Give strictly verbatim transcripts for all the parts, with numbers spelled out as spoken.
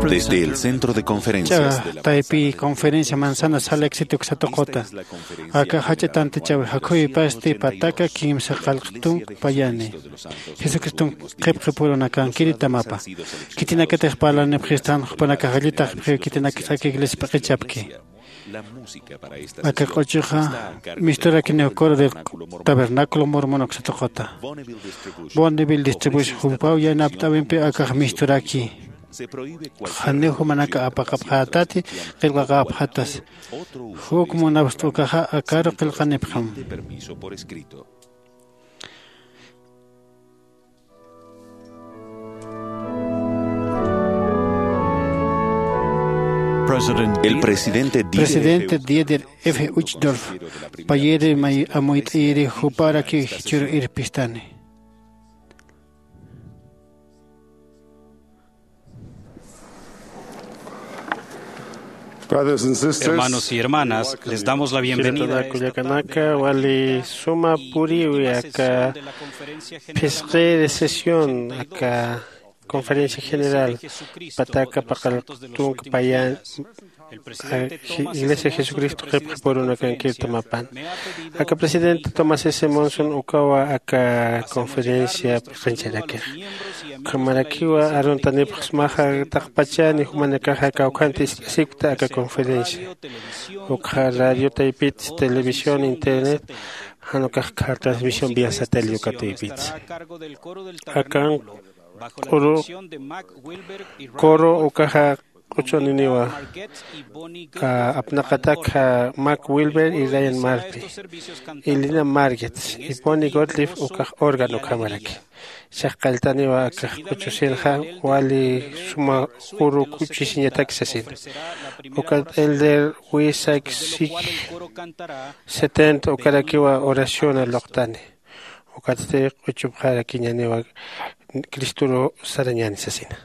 Desde el centro de conferencias de la taypi conferencia manzana sala éxito ksatuqota. Aka jach'a tantichawi jakhuypasti pataka kimsa qallq tunka payani. Jesucriston qhipqi purunakankiri tamapa. Khitinakatix parlanipxistan jupanakax allitaqpxiw khitinakatix aka iglesia p'iqichapki. Aka q'uchuxa misturakiniw coro del tabernáculo mormon uksatuqata. Bonneville distribution jupaw yanapt'awimpi akax misturaki. Janiw jumanaka apaqapxätati qillqaqapxätas. Juk munapxta ukaxa akaru qillqanipxam. El presidente Dieter F. Uchtdorf payiri amuyt'ayiri juparaki jichhüru irpistani. Hermanos y hermanas, les damos la bienvenida a esta kullakanaka wali suma puriwi aka phisqiri sesión aka conferencia general pataka paqallq tunka payan. Iglesia Jesucristo qhipqi purunakankir tamapan. Aka presidente Thomas S. Monson ukawa aka conferencia p'iqincharakix. Ukhamarakiwa aruntanipxsmaxa taqpachani jumanakaxa kawkhanti isp'isikta aka conferencia. Ukxa radio taypits televisión internet jan ukax kha transmisión vía satélite ukataypits. Akan q'uru coro ukaxa q'uchuniniwa apnaqatak Mac Wilber y Ryan Murphy, Elena Margetts y Bonnie Gottlieb ukax órgano ukhamaraki. Chaqalltaniwa akax q'uchusinxa wali suma uru kuchisiñatak sasina. Ukat elder Wisak Sik setenta ukarakiwa oración luqtani. Ukatsti q'uchupxarakiñaniwa Cristuru sarañani sasina.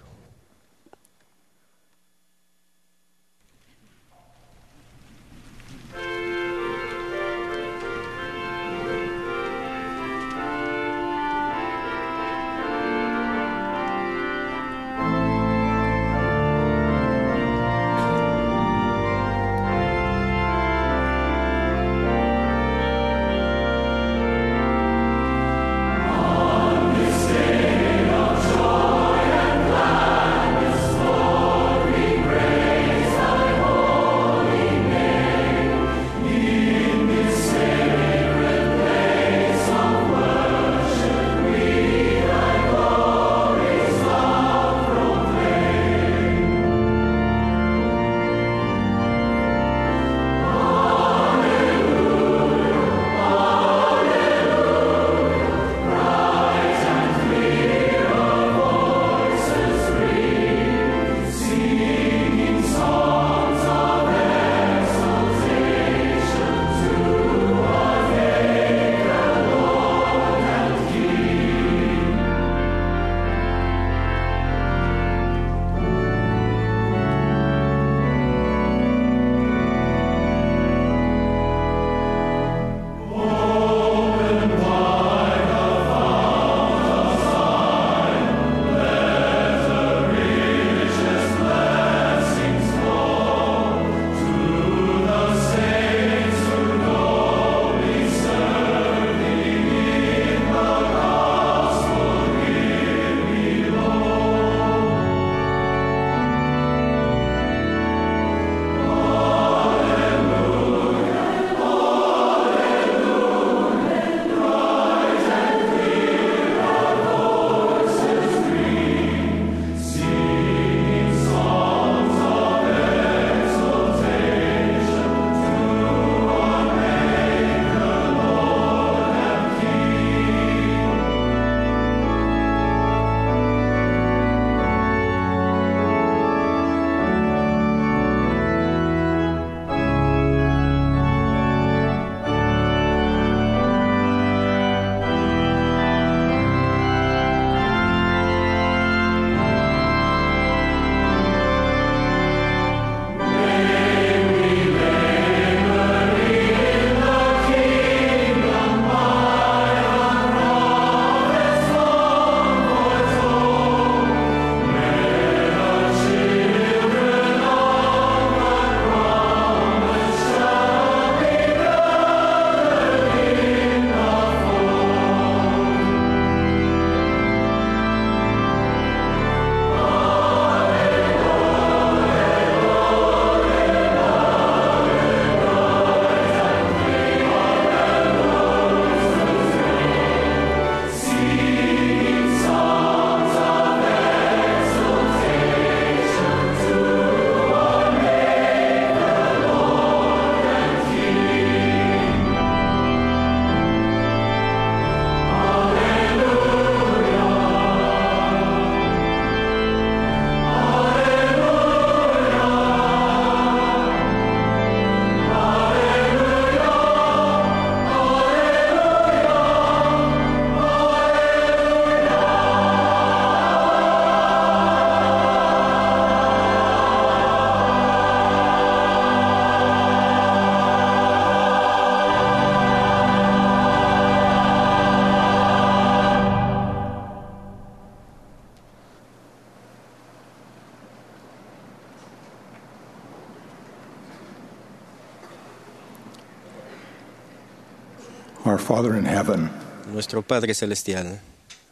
Our Father in heaven, nuestro Padre Celestial,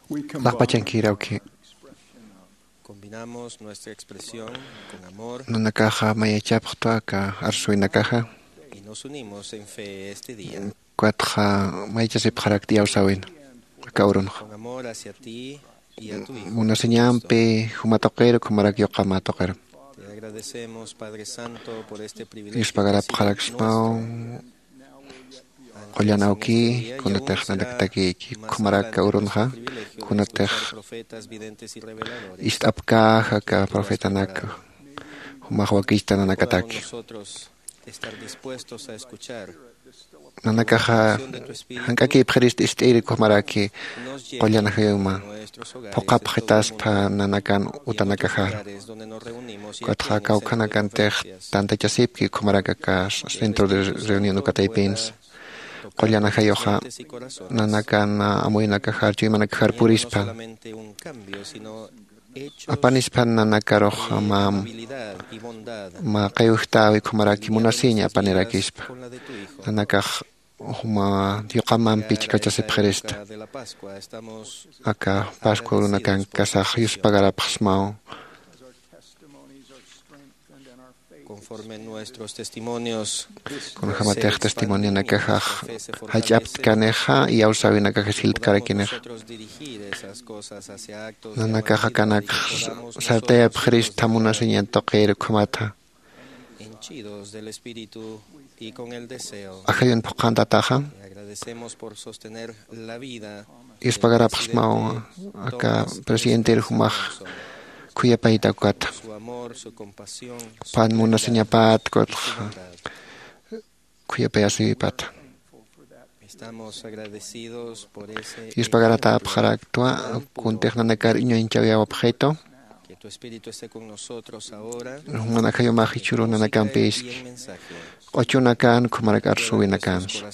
we combine Laqpachankir awki. Combinamos nuestra expresión con amor. Nanakaxa mayachapxtwa aka arsuwinakaxa. Y nos unimos en fe este día. Ukatxa mayachasipxarakti iyawsäwina aka urunxa. Con amor hacia ti y a tu Hijo. Munasiñampi juma tuqir, ukhamaraki yuqam tuqir. Te agradecemos, Padre Santo, por este privilegio que ha sido nuestro. Yuspagarapxaraksmaw qullan awki, kunatix nanakatakïki, ukhamaraki aka urunxa, kunatix ist'apkäxa aka profetanak, jumax wakichta nanakataki. Nanakaxa jank'akïpxirist ist'iri ukhamaraki qullan ajayuma, phuqhapxitaspa nanakan utanakaxaru. Ukatxa kawkhanakantix tantachasipki ukhamaraki aka centro de reunión ukataypinsa. Qullan ajayuxa nanakan amuynakaxar, chuymanakaxar purispa. Apanispan nanakarux mä, mä qiwjtäwi ukhamaraki munasiñ apanirakispa. Nanakax juma yuqamampi chhikachasipxirista. Aka Pascua urunakankasax yuspagarapxsmaw. Conforme nuestros testimonios. Kunjamatix testimonionakaxax jach'aptkanixa, iyawsäwinakax jiltkarakinixa. Nosotros dirigir esas cosas hacia actos de amabilidad. Nanakax akanak sartayapxirista munasiñan tuqir ukhamatxa. Hinchidos del Espíritu y con el deseo. Ajayun phuqhantataxa. Y agradecemos por sostener la vida. Yuspagarapxsmaw aka presidenter jumax khuyapayta ukata. Su amor, su compasión, su fidelidad y su bondad. Pan munasiñapat, ukatxa khuyapayasipata. Estamos agradecidos por ese ejemplo. Yuspagaratapxaraktwa, kuntix nanakar uñañchawayapxitu. Que tu Espíritu esté con nosotros ahora. Juman ajayumax jichhüru nanakampïski. Q'uchunakan, ukhamaraki arsuwinakansa.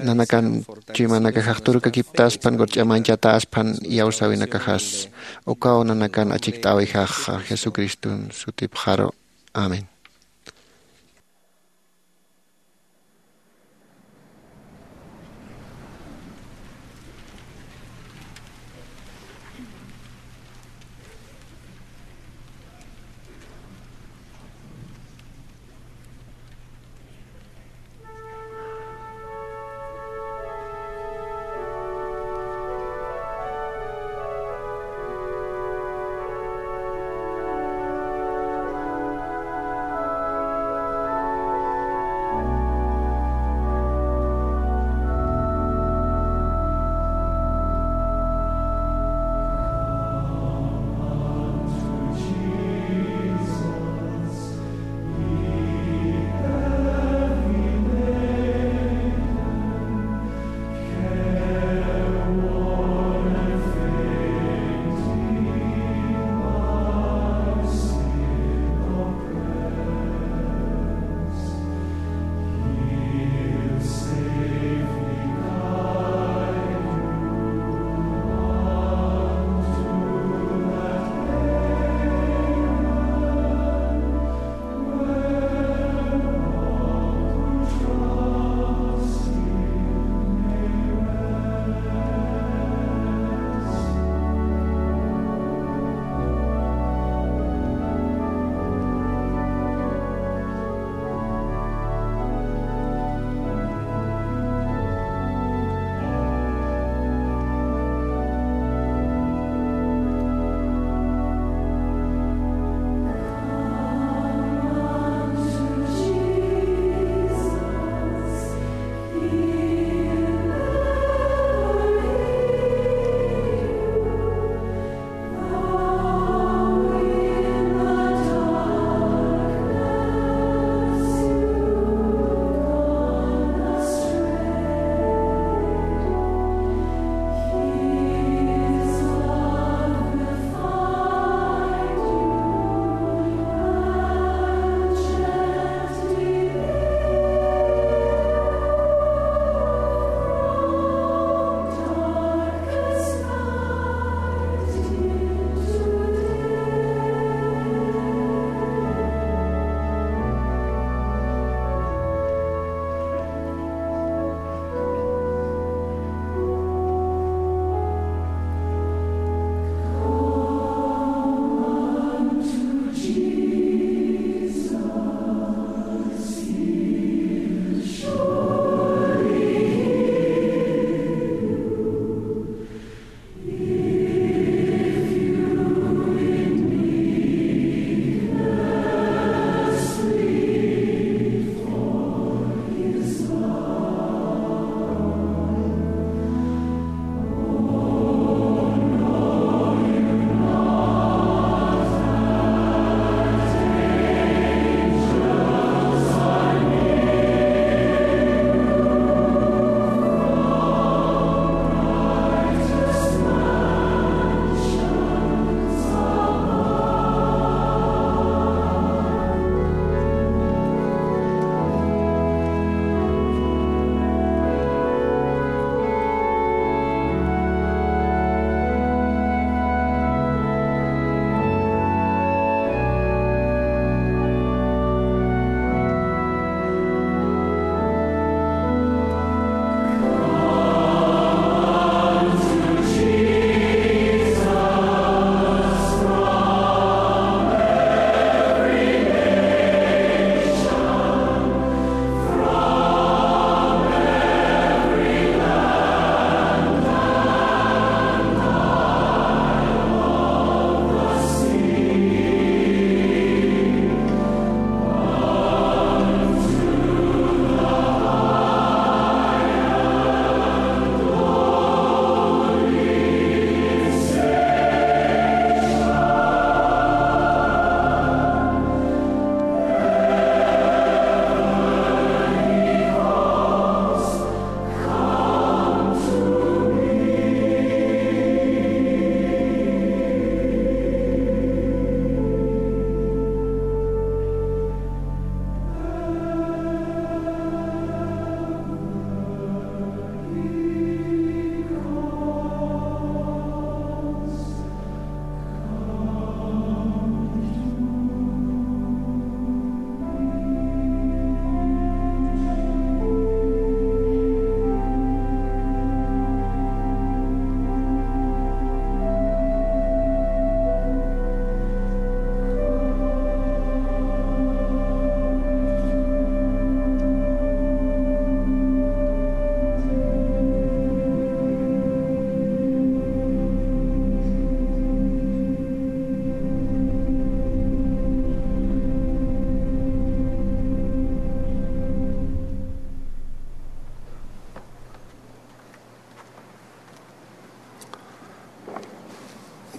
Nanakan chuymanakaxax turkakiptaspan, qurch'amanchataspan, iyawsäwinakaxas. Ukaw nanakan achikt'äwixa Jesucriston sutipxaru. Amén.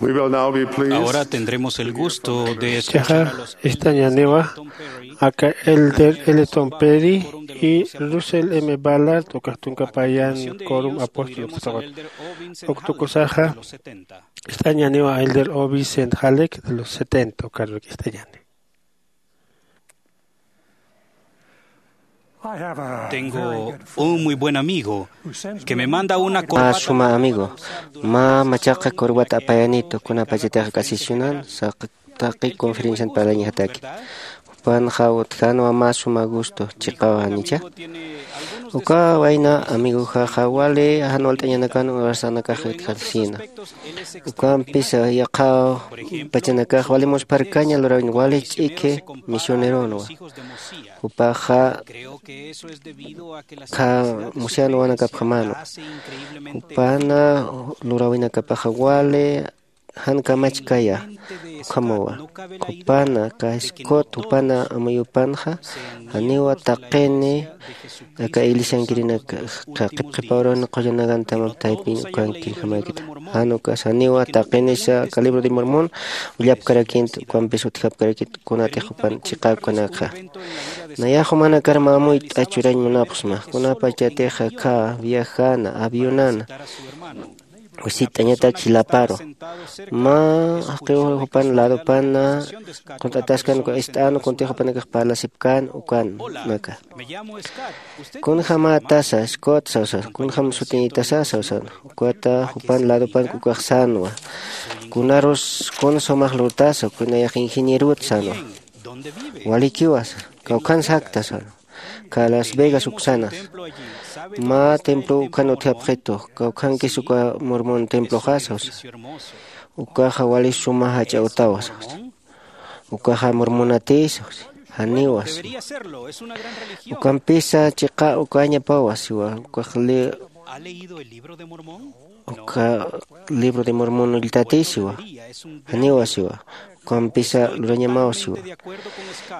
We will now be pleased Ahora tendremos el gusto de escuchar a los Chaja elders estañaniwa Elton Perry aka Elder Elton Perry y Russell M. Ballard ukax tunka payan Quorum Apóstol uktaxut. Uktukusaxa estañaniwa Elder O B Saint Halleck de los setenta ukaruk estañani. Tengo un muy buen amigo que me manda una Mä corbata suma amigo, mä machaqa corbata apayanitu, kunapachatix k'asisiyunan, saq taqi conferencian parlañajataki. Jupanxa utjänwa mä suma gusto chiqawa, ¿janicha? Uka wayna amigoxaxa wali jan walt'añanakan urarsanakax utjarasïna. Ukampisa yaqha pachanakax wali muspharkaña lurawin, wali ch'iki misioneronwa. Jupaxa kha musian wawanakapjamänwa. Jupana luräwinakapaxa wali jan kamachkaya ukhamawa. Jupana kä Scott jupana amuyupanxa janiwa taqini aka iglesiankirinak qhipqhipawrun qullanakantama taypin ukankirjamäkita. Jan ukas janiwa taqinisa aka Libro de Mormon ullapkarakïnta, ukampis utjapkarakïnta kunatix jupan chiqäkanakxa. Nayax jumanakar mä amuyt'a churañ munapxsma, kunapachatix aka viajana, avionana, wisitt'añatak jilaparu. Mä jaqiw jupan ladopana qunt'ataskan uka ist'an, kuntix jupanakax parlasipkän ukanaka. Kunjamätasa, Scott sawsa, kunjam sutiñitasa sawsan. Ukata jupan ladopank ukax sänwa. Kunarus kun sumax lurtasa, uka nayax ingenierot sänwa. Walikiwa sa, kawkhan sakta sänwa. Kä Las Vegas uksanas. Mä templo ukhan utjapxitu, kawkhankis uka Mormon temploxa sawsa. Ukaxa wali suma jach'a utawa sawsa. Ukaxa Mormonati sawsa. Janiwa siwa. Ukampisa chiqa ukañapawa siwa. Ukax li uka Libro de Mormon ulltati siwa. Janiwa siwa. Ukampisa lurañamaw siwa.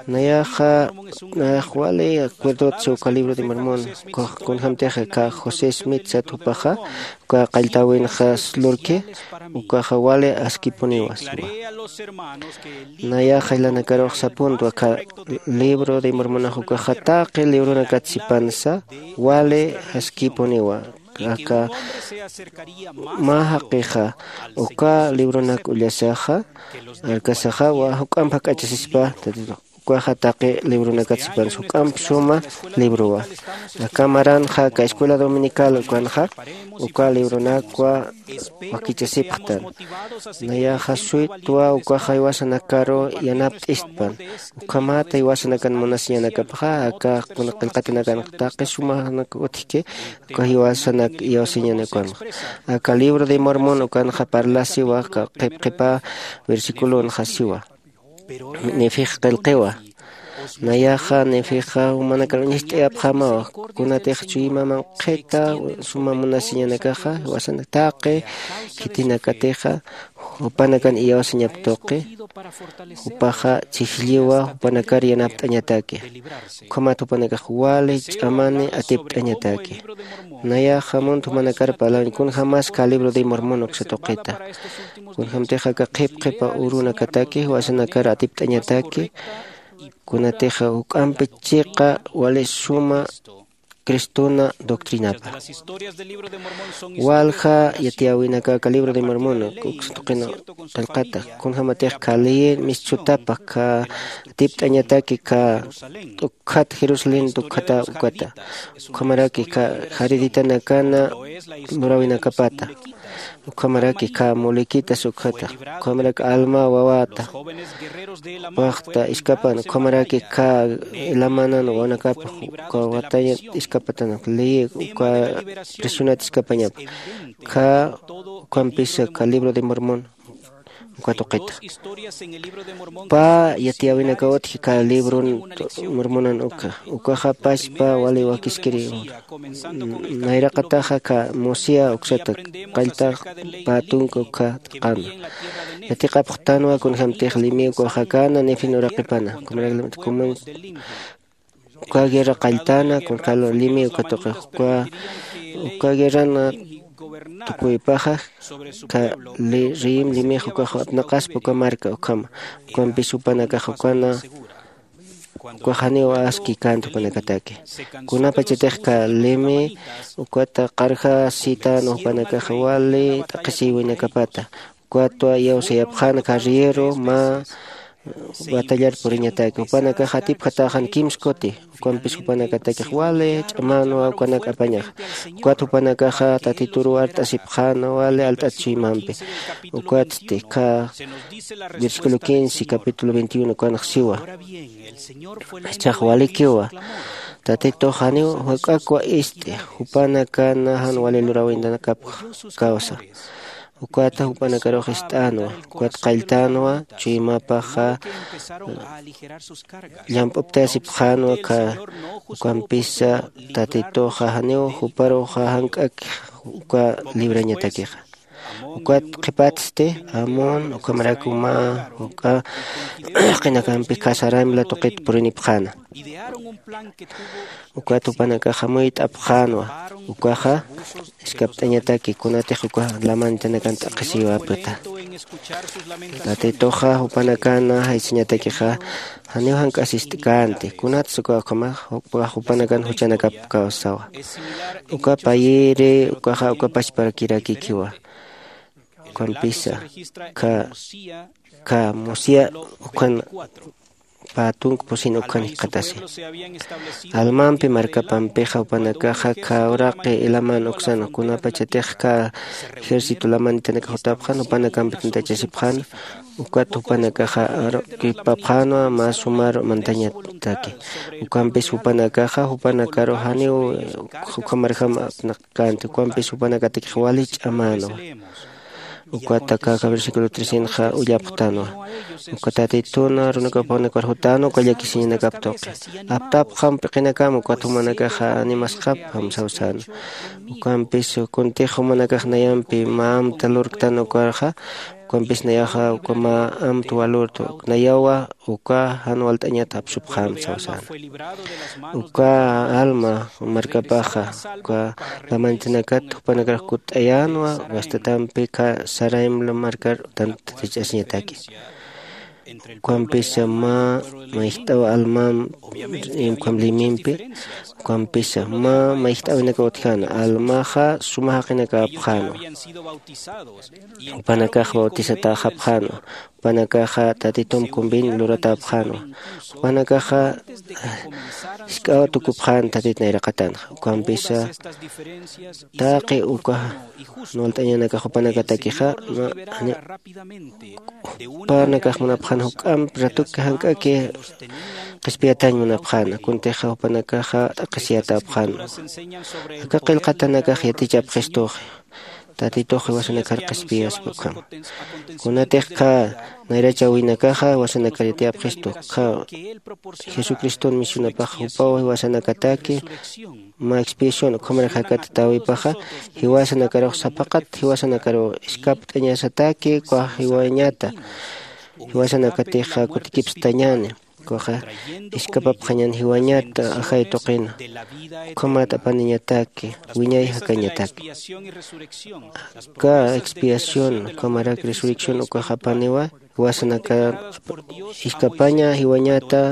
Nayaxa nayax wali acuerdot siwa uka Libro de Mormon. Kunjamtix aka José Smith sat jupaxa uka qalltäwinxa lurki, ukaxa wali askipuniwa siwa. Nayax aylanakarux sapuntwa aka Libro de Mormonax ukaxa taqi libronakat sipansa wali askipuniwa. Aka mä jaqixa uka libronak ullasaxa arkasaxa juk'amp jak'achasispa, ukaxa taqi libronakat sipansa juk'amp suma librowa. Aka maranxa aka escuela dominical ukanxa uka libronakwa wakichasipxtan. Nayaxa suytwa ukaxa jiwasanakaru yanapt'istpan. Ukhamat jiwasanakan munasiñanakapxa aka kuna qillqatanakan taqi sumanak utjki uka jiwasanak iyawsiñanakanxa. Aka Libro de Mormon ukanxa parlasiwa aka qhipqhipa versiculonxa siwa. Nefix qillqiwa. Nayaxa Nefixa jumanakar uñacht'ayapxämawa, kunatix chuyma manqhita suma munasiñanakaxa jiwasanak taqi khitinakatixa jupanakan iyawsañap tuqi, jupaxa chhijlliwa jupanakar yanapt'añataki. Ukhamat jupanakax wali ch'amani atipt'añataki. Nayaxa munt jumanakar parlañ kunjämas kä Libro de Mormon uksa tuqita. Kunjämtix aka qhipqhipa urunakataki jiwasanakar atipt'añataki. Kunatix juk'ampi chiqa wali suma Cristona doctrinapa. Walja yatiyäwinaka aka Libro de Mormon uksa tuqin qillqata, kunjämatix kä ley mistsutapa kä atipt'añataki kä t'ukkhat Jerusalén t'ukkhata ukata. Ukhamaraki kä jariditanakana luräwinakapata. Ukhamaraki kä mulikitas ukhata. Ukhamaraki Alma wawata. Jupaxta iskapan, ukhamaraki kä Elamanan wawanakapa, uka watañat iskapatanak, ley uka presionat iskapañapa. Kä ukampisa kä Libro de Mormon uka tuqita. Pä yatiyäwinakaw utji kä Libro Mormonan uka. Ukaxa pachpa wali wakiskiri. Nayraqataxa kä Mosiah uksata qalltax pä tunka uka qama. Yatiqapxtanwa kunjämtix Leví ukaxakana Nefin uraqipana. Kunrak kuman uka guerra qalltana, kunjämtix Leví uka tuqix uka, uka guerrana tukuypaxa, ka li riyim limix ukax apnaqaspa uka marka ukhama. Ukampis jupanakax ukana ukax janiw aski känti jupanakataki. Kunapachatix ka limi ukata qarja sitan jupanakaxa wali t'aqhisiywinakapata, ukatwa iyawsayapxäna carriero mä batallar puriñataki. Jupanakaxa atipjatäxan kimskuti. Ukampis jupanakatakix wali ch'amänwa ukanak apañaxa. Ukat jupanakaxa tatituruw art'asipxäna wali alt'at chuymampi. Ukatsti ka versículo quince capítulo veintiuno ukanx siwa. Jichhax walikiwa, tatitux janiw jak'akwa ist'i, jupanakan jan wali luräwintanakap kawsa. Ukata jupanakarux ist'änwa. Ukat qalltänwa chuymapaxa llamp'uptayasipxänwa ka. Ukampisa tatituxa janiw juparuxa jank'ak uka librañatakixa. Ukat qhipatsti amon ukhamarak uma juk'a jaqinakampi khasaraymla tuqit purinipxäna. Ukat jupanakaxa muyt'apxänwa. Ukaxa iskapt'añataki kunatix uka lamanitanakan t'aqhisiwäpxta. Tatituxa jupanakan jaysañatakixa janiw jank'asist'känti kunatsa uka ukhamax jupanakan juchanakap kawsawa. Uka payiri ukaxa uka pachparakirakikiwa. Ukampisa ka ka musiya ukhan pä tunk pusin ukhan jikxatasi. Almampi markapampixa jupanakaxa ka uraqi ilaman uksan kunapachatix ka ejército lamanitanakax jutapxan jupanakampi tantachasipxan. Ukat jupanakaxa arukipapxänwa mä sumar mantañataki. Ukampis jupanakaxa jupanakaru janiw ukhamarjam apnaqkänti ukampis jupanakatakix wali ch'amänwa. Ukat aka versículo trecenxa ullapxtänwa. Uka tatituna runakapunakar jutänwa uka llakisiñanakap tuqi. Aptapxam p'iqinakam ukat jumanakaxa animasxapxam sawsäna. Ukampis kuntix jumanakax nayampi mä amta lurktan ukarxa ukampis nayaxa uka mä amta walurtu nayawa uka jan walt'añat apsupxäm sawsäna. Uka alma markapaxa uka lamanitanakat jupanakarak kutt'ayänwa wastatampi ka saraymla markar tantatich'asiñataki. Ukampisa mä mayjt'aw almam ukham limimpi ukampisa mä mayjt'awinaka utjäna almaxa suma jaqinak apxänwa. Jupanakax bautizatäxapxänwa. Jupanakaxa tatitump convenio luratäpxänwa. Jupanakaxa jisk'aw tukupxän tatit nayraqatanxa ukampisa taqi uka jan walt'añanakax jupanakatakixa jupanakax munapxän juk'amp ratuki jank'aki qhispiyatañ munapxäna kuntixa jupanakaxa t'aqhisiyatäpxänwa. Aka qillqatanakax yatichapxistuxi. Tatitux jiwasanakar qhispiyaspa ukhama. Kunatix khä nayrachäwinakaxa jiwasanakar yatiyapxistu khä jesucriston misionapax jupaw jiwasanakataki mä expiación ukhamarak jakatatäwipaxa jiwasanakarux sapaqat jiwasanakaru iskapt'añasataki ukax jiwañata jiwasanakatixa kutikipstañäni. Ukaxa iskapapxañan jiwañat ajay tuqina ukhamat apaniñataki wiñay jakañataki. Aka expiación ukhamarak resurrección ukax apaniwa jiwasanakar iskapaña jiwañata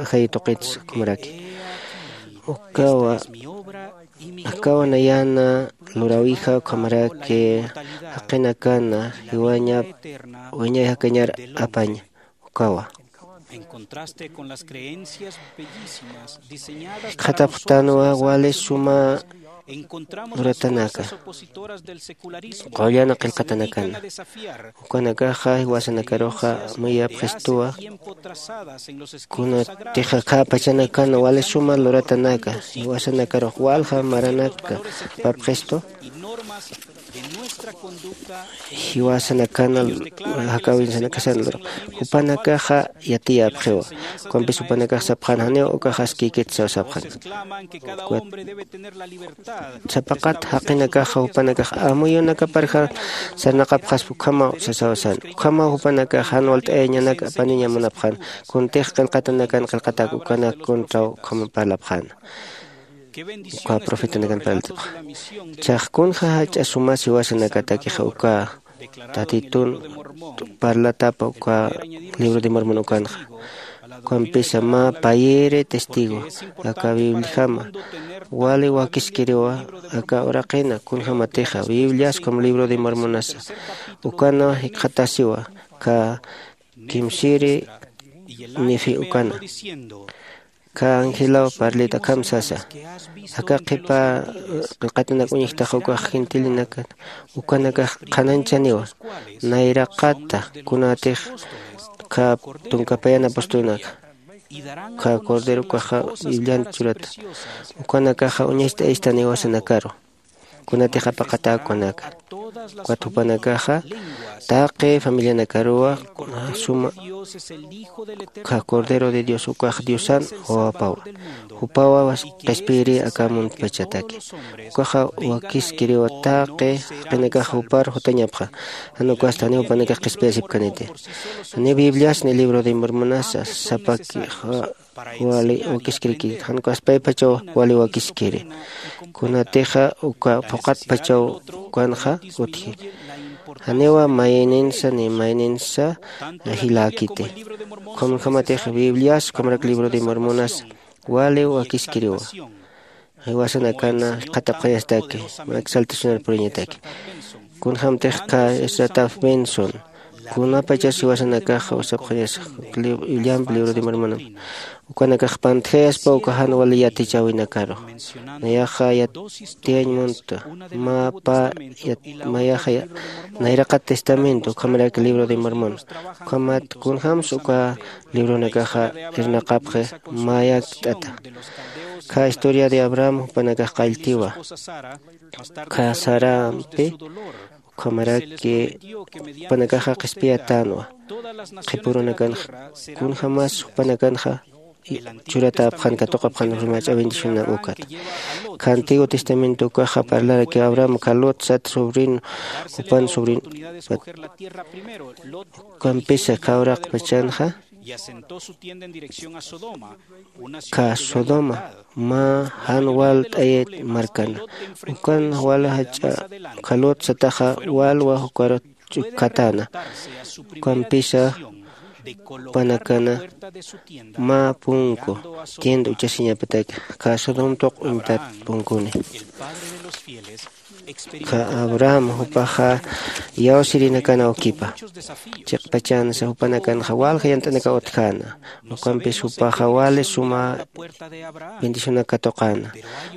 ajay tuqits ukhamaraki. Ukawa akawa nayana luräwija ukhamaraki jaqinakana jiwañap wiñay jakañar apaña. Ukawa jikxatapxtanwa wali suma luratanaka qullan qillqatanakana. Ukanakaxa jiwasanakaruxa amuyapxistuwa. Kunatix akhäpachanakan wali suma luratanaka jiwasanakarux walja maranaka apapxistu. Jiwasanakan jakäwinsanakasan lurapxi jupanakaxa yatiyapxiwa. Ukampis jupanakax sapxän janiw ukax askïkit saw sapxän. Sapaqat jaqinakaxa jupanakax amuyunakaparja sarnaqapxaspa ukhamaw sasaw sän ukhamaw jupanakax jan walt'ayañanak apaniña munapxän. Kuntix qillqatanakan qillqatak ukanak kuntraw ukham parlapxäna. uka profetanakan parltapxa. Chax kunxa jach'a sumas jiwasanakatakixa uka tatitun parlatapa uka libro de Mormon ukanxa. Ukampisa mä payiri testigo aka Bibliajama wali wakiskiriwa aka uraqina kunjamatixa Biblias como libro de Mormonasa ukana jikxatasiwa ka kimsiri Nefi ukana. Ka angelaw parlit akham sasa: Aka qhipa qillqatanak uñjtaxa ukax gentilinakat ukanakax qhanañchaniwa nayraqata kunatix ka tunkapayana apostolunaka, ka cordero ukaxa Biblian churata, ukanakaxa uñacht'ayistaniwa sanakaru. Kunatix apaqatäkunaka. Ukat jupanakaxa taqi familianakaruwa suma ka Cordero de Dios ukax Diosan wawapawa. Jupawa qhispiyiri aka muntpachataki. Ukaxa wakiskiriwa taqi jaqinakax jupar jutañapxa. Jan ukasti janiw jupanakax qhispiyasipkaniti. Janiw Bibliasni libro de Mormonasa sapaki wali wakiskiriki, jan ukaspaypachaw wali wakiskiri. Kunatixa uka phuqatpachaw ukanxa utji. Janiwa mayninsa ni mayninsa jiläkiti. Ukhamkhamatix Biblias ukhamarak libro de Mormonas wali wakiskiriwa. Jiwasanakana qhatapxayastaki, mak saltacionar puriñataki. Kunjamtix ka Ezra Taft Benson kunapachas jiwasanakaxa usapxañasa William libro de Mormon ukanakax pantjayaspa uka jan wali yatichäwinakaru. Nayaxa yatiyañ munta mä pä mayaxa nayraqat testamento ukhamarak libro de Mormon. Ukhamat kunjämsa uka libronakaxa irnaqapxi mayakt'ata. Ka historia de Abraham jupanakax qalltiwa. Ka Sarampi ukhamaraki jupanakaxa qhispiyatänwa. Qhipurunakanxa kunjämas jupanakanxa churatäpxan katuqapxan rimach'a bendicionan ukat. Ka Antiguo Testamento ukaxa parlaraki Abraham ka Lot sat sobrino jupan sobrino ukampisa ka uraqpachanxa ka Sodoma mä jan walt'ayat markana. Ukan wal jach'a ka Lot sataxa walwa jukar ch'ukkatäna. Ukampisa jupanakana mä punku tienda uchasiñapataki ka Sodom tuq uñtat punkuni. Ka Abraham jupaxa iyawsirinakana ukipa chiqpachansa jupanakanxa walja yant'anaka utjäna. Ukampis jupaxa wali suma bendicionak katuqäna.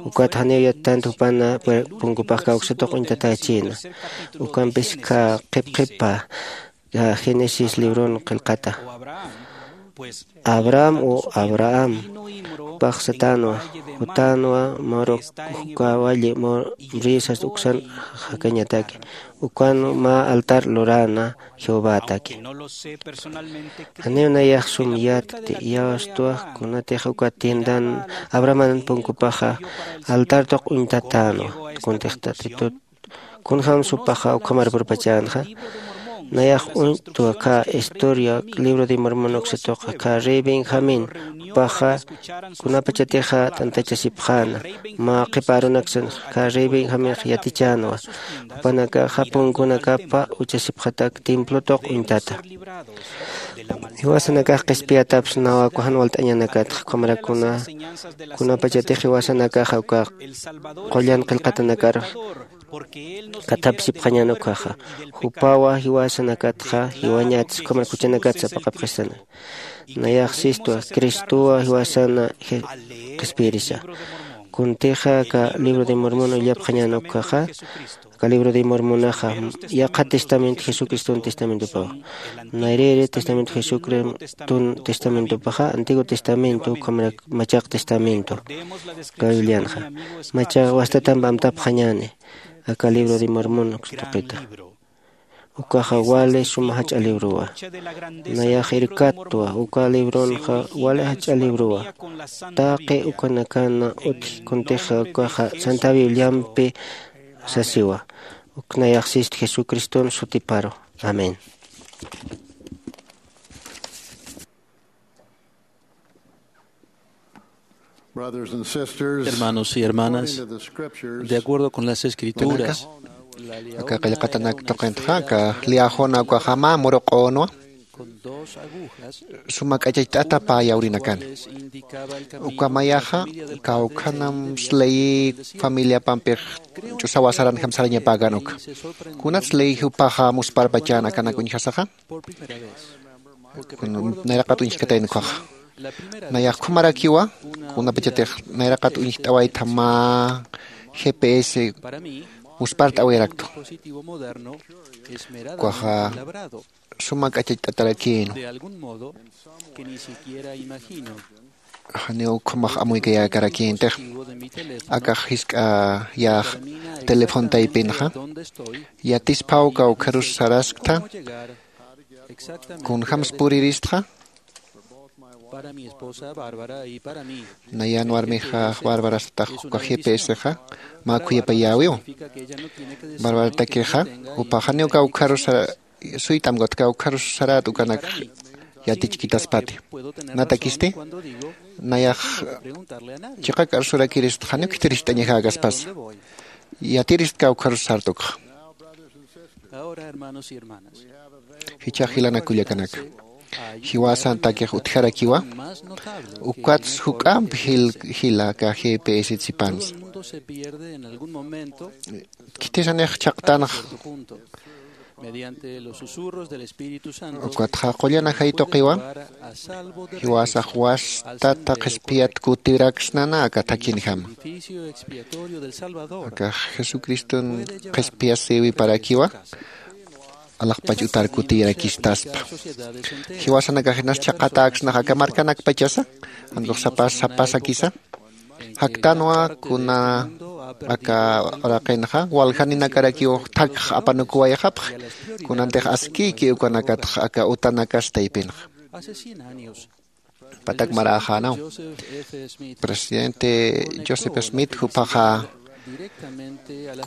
Ukat janiw yattant jupana punkupax kawksa tuq uñtatächïna. Ukampis ka qhipqhipa ka Génesis libron qillqata. Abraham u Abraham jupax satänwa jutänwa Morok uka walli Moré sas uksan jakañataki. Ukan mä altar luräna Jehovataki. Janiw nayax sum yatkti iyawstwa kunatix uka tiendan Abrahaman punkupaxa altar tuq uñtatänwa. Kuntix tatitut kunjämsa jupaxa ukhamar purpachänxa. Nayax uñtwa ka historia libro de Mormon uksatuqa ka rey Benjamín jupaxa kunapachatixa t'antachasipxäna mä qhipa arunaksan ka rey Benjaminx yatichänwa. Jupanakaxa punkunakapa uchasipxatak templo tuq uñtata. Jiwasanakax qhispiyatapxsnawa kujan walt'añanakatxa ukhamarakuna kunapachatix jiwasanakaxa uka qullan qillqatanakar kathapsipxañän ukhaxa. Jupawa jiwasanakatxa jiwañats ukhamarak juchanakatsa apaqapxistana. Nayax sistwa Cristowa jiwasana qhispiyirisa. Kuntixa aka libro de Mormon illapxañän ukhaxa. Aka libro de Mormonaxa yaqha testamento Jesucriston testamentopawa. Nayrïri testamento Jesucriston testamentopaxa Antiguo Testamento ukhamarak Machaq Testamento. Aka Biblianxa macha wastatamp amtapxañäni aka libro de Mormon uksa tuqita. Ukaxa wali suma jach'a librowa. Nayax irkatwa uka libronxa wali jach'a librowa. Taqi ukanakana utji kuntixa ukaxa Santa Bibliampi sasiwa. Uk nayax sist Jesucriston sutiparu. Amén. Brothers and sisters, hermanos y hermanas, according to the scriptures, de acuerdo con las escrituras, aka qillqatanak tuqintxa aka liyäxuna ukaxa mä muruq'unwa suma k'achacht'ata pä yawrinakani. Uka mayaxa kawkhanam sley familiapampix ch'usawa saranjam sarañapäkan uka. Kunat sley jupaxa musparpachan akanak uñjasaxa? Nayraqat uñjkatayn ukhaxa. Nayax ukhamarakiwa kunapachatix nayraqat uñjt'awaytha mä GPS muspart'awayaraktu. Ukaxa suma k'achacht'atarakïnwa. Janiw ukhamax amuykayäkarakïntix. Akax jisk'a yäx teléfono taypinxa yatisphaw kawkharus sarasktha, kunjams puriristxa. Nayan warmixa Barbara satax uka GPSxa mä khuyapayäwiw. Barbaratakixa jupax janiw kawkharus suyt'amkawt kawkharus sarät ukanakx yatichkitaspati. Natakisti nayax chiqak arsurakirist janiw khitiricht'añakäkaspasa. Yatirist kawkharus sartukxa. Jichhax jilanak kullakanaka, jiwasantakix utjarakiwa. Ukats juk'amp jila aka GPS sipansa. Khithisanix chhaqtanxa. Ukatxa qullan ajay tuqiwa jiwasax wastata qhispiyat kutiraksnana aka thakhinjama. Akax jesucriston qhispiyasïwiparakiwa. Alaxpach utar kutiyarakistaspa. Jiwasanakax jinas chhaqatäksnax aka markanakpachasa, jankux sapas sapasakisa. Jaktanwa kuna aka uraqinxa waljaninakarakiw thakx apanukuwayxapxi. Kunantix askïki ukanakatx aka utanakas taypinxa. Patak maräxänaw, presidente Joseph Smith juphaxa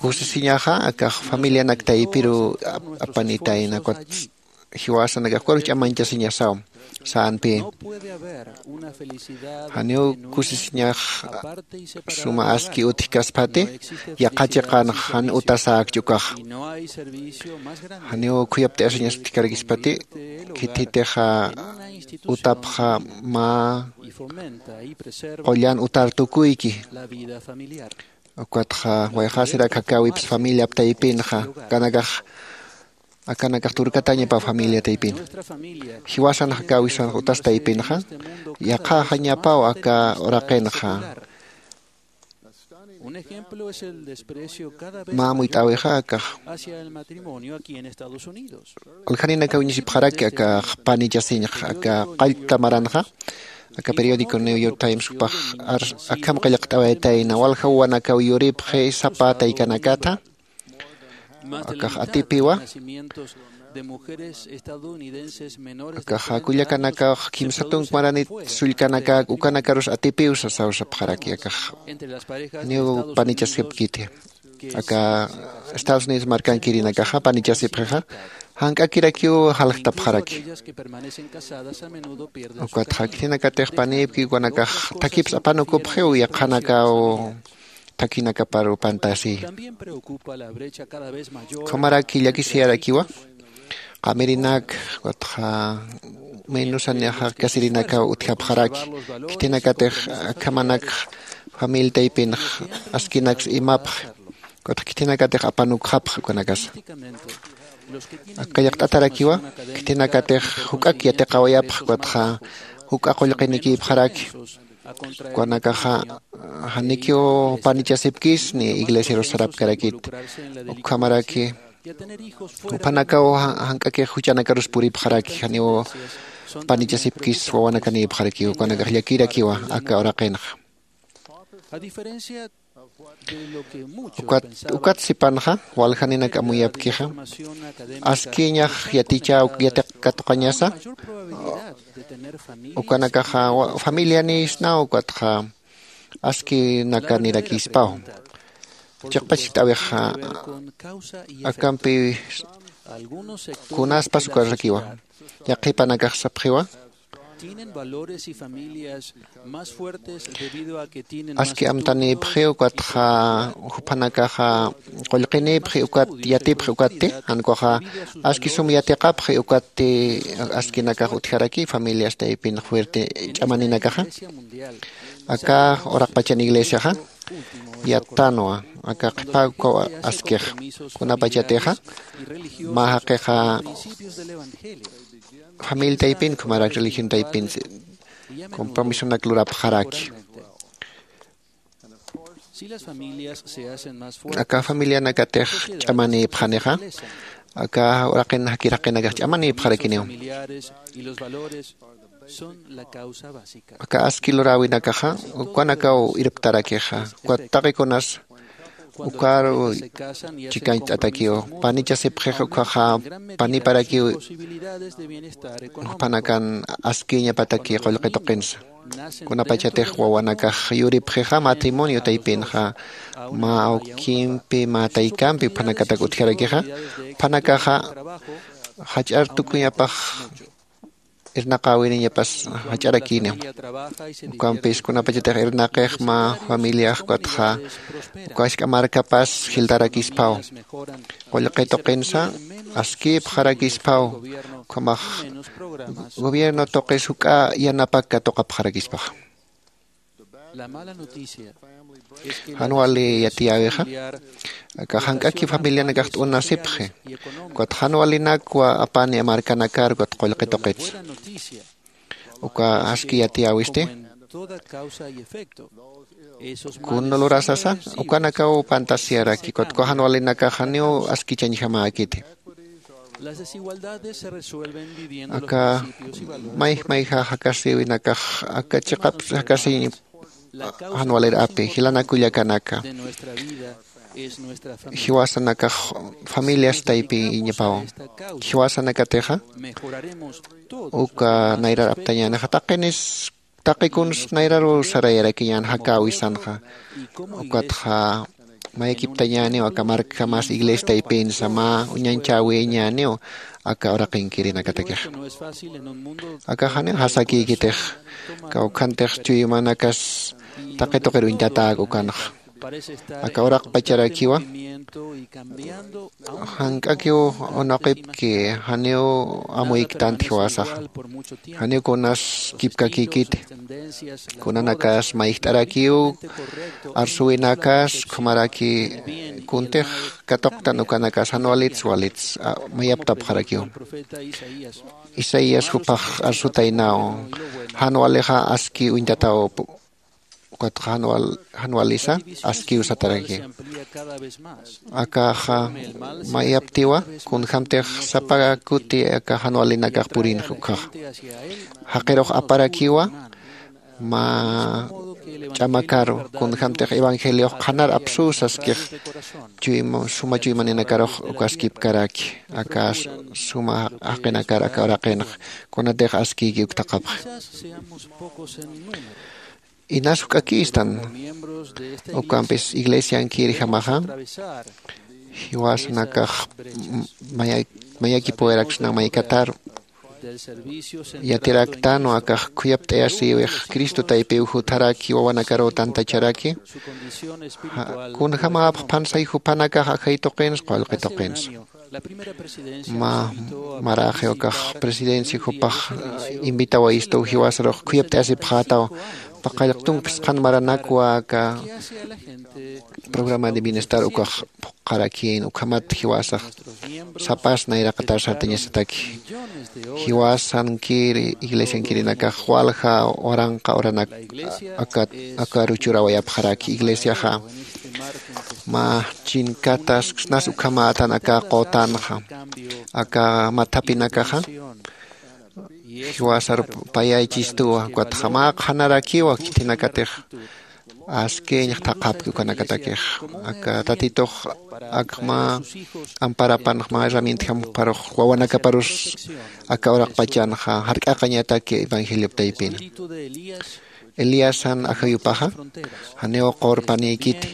kusisiñaxa akax familianak taypiru apanitayna ukat jiwasanakax ukarus ch'amañchasiñasaw. Sänpï janiw kusisiñax suma aski utjkaspati. Yaqha chiqanx jan utasäkchi ukaxa. Janiw khuyapt'ayasiñas utjkarakisipati. Khithitixa utapxa mä qullan utar tukuyki. Ukatxa wayxasirak jakäwips familiap taypinxa. Akanakax akanakax turkatañapaw familia taypin. Jiwasan jakäwisanx utas taypinxa yaqhaxañapaw aka uraqinxa. Mä amuyt'äwixa akax. Waljaninakaw iñisipxaraki akax panichasiñxa aka qallta maranxa. Aka periódico New York Times jupax akham qillqt'awaytayna walja wawanakaw yuripxi sapa taykanakatha. Akax atipiwa. Akaxa kullakanakax kimsa tunk maranit sullkanakäk ukanakarus atipiw sasaw sapxaraki akax. Niw panichasipkiti aka Estados Unidos markankirinakaxa panichasipxixa. Jank'akirakiw jaljtapxaraki. Ukatxa khitinakatix panïpki ukanakax thakhips apanukupxiw yaqhanakaw thakhinakaparu pantasi. Ukhamaraki llakisiyarakiwa. Qamirinak ukatxa menusan ñaxaq kasirinakaw utjapxaraki. Khitinakatix akhamanak familia taypinx askinaks imapxi. Ukatxa khitinakatix apanukxapxi ukanakasa. Aka llaqt'atarakiwa khitinakatix juk'ak yatiqawayapxi ukatxa juk'a qullqinikïpxaraki. Ukanakaxa janikiw panichasipkis ni iglesiarus sarapkarakit. Ukhamaraki juphanakaw jank'akix juchanakarus puripxaraki janiw panichasipkis wawanakanïpxaraki ukanakax llakirakiwa aka uraqinxa. Ukat sipanxa waljaninak amuyapkixa askiñax yatichäw yatiqkatuqañasa. Ukanakaxa familianïsnaw ukatxa askinakanirakïspaw. Chiqpach jit'äwixa akampi kunaspas ukarrakiwa yaqhipanakax sapxiwa. Tienen valores y familias más fuertes debido a que tienen más aski estudio, amtanipxi ukatxa, juphanakaxa qullqinipxi ukat, yatipxi ukatti, jan ukaxa aski sum yatiqapxi ukatti, askinakax utjaraki familias taypin fuerte ch'amaninakaxa. Aka uraqpachan iglesiaxa yattanwa aka qhipa ukaw askix, kunapachatixa mä jaqixa familia taypin, ukhamarak religión taypin compromisonak lurapxaraki. Si las familias se hacen más fuertes, aka familianakatix ch'amanïpxanixa, aka uraqin jakir jaqinakax ch'amanïpxarakiniw. Familiares y los valores son la causa básica. Aka aski luräwinakaxa ukanakaw irptarakixa, ukat taqikunas ukaru chikañcht'atakiw, panichasipxix ukhaxa paniparakiw, jupanakan askiñapataki qullqi tuqinsa. Kunapachatix wawanakax yuripxixa matrimonio taypinxa, mä awkimpi mä taykampi juphanakatak utjarakixa, juphanakaxa jach'ar tukuñapax irnaqäwiniñapas jach'arakïniw. Ukampis kunapachatix irnaqix mä familiax ukatxa uka jisk'a markapas jiltarakispaw, qullqi tuqinsa askïpxarakispaw, ukhamax gobierno tuqis juk'a yanapak katuqapxarakispaxa. Jan wali yatiyäwixa, aka jank'aki familianakax t'unasipxi, ukat jan walinakwa apani markanakar ukat qullqi tuqitsa. Uka aski yatiyäwisti, kun lurasasa ukanakaw pantasiyaraki, ukat uka jan walinakax janiw askichañjamäkiti. Aka mayj mayja jakasïwinakax aka chiqap jakasïñ jan walir api, jilanak kullakanaka, jiwasanakax familias taypiñapaw. Jiwasanakatixa uka nayrar aptañänixa taqinis taqi kuns nayraru sarayarakiñän jakäwisanxa, ukatxa mayakiptañäniw aka markjamas iglesia taypinsa mä uñañchäwiñäniw aka uraqinkirinakatakixa. Aka janiw jasakïkitix, kawkhantix chuymanakas taqi tuqir uñtatäk ukanxa. Aka uraqpacharakiwa jank'akiw unuqipki, janiw amuyktanti jiwasaxa, janiw kunas kipkakïkiti, kunanakas mayjt'arakiw arsuwinakas, ukhamaraki kuntix katuqtan ukanakas jan walits walits mayaptapxarakiw. Isaías jupax arsutaynaw, jan walixa aski uñtataw, ukatxa jan walisa askiw sataraki. Akaxa mayaptiwa kunjämtix sapa kuti aka jan walinakax purinxa ukhaxa. Jaqirux aparakiwa mä ch'amakaru, kunjämtix evangeliox qhanar apsuw saskix, suma chuymaninakarux ukaskipkaraki aka suma jaqinakar aka uraqinxa, kunatix askïki uktaqapxi. Inas juk'akïstan, ukampis iglesiankirjamaxa jiwasanakax mayakipuwayaraksna maykataru. Yatiraktanwa akax khuyapt'ayasïwix Cristo taypiw jutharaki, wawanakaruw tantacharaki, kunjämäpx phansay juphanakax ajay tuqins qullqi tuqins. Mä maraxi ukax presidencia jupax invitawayistuw jiwasarux khuyapt'ayasipxätaw, paqallq tunk phisqhan maranakwa aka programa de bienestar ukax phuqharakïn, ukhamat jiwasax sapas nayraqatar sartañasataki. Jiwasankiri iglesiankirinakax walja waranqa uranak akaru churawayapxaraki. Iglesiaxa mä chinkatas snas ukhamätan aka qutanxa, aka mathapinakaxa jiwasar payaychistuwa, ukatxa mä qhanarakiwa khitinakatix askiñ thaqhapki ukanakatakix. Aka tatitux akma amparapanx mä herramientjam juparux wawanakaparus aka uraqpachanxa jark'aqañataki evangeliop taypina. Eliasan ajayupaxa janiw qurpanïkiti,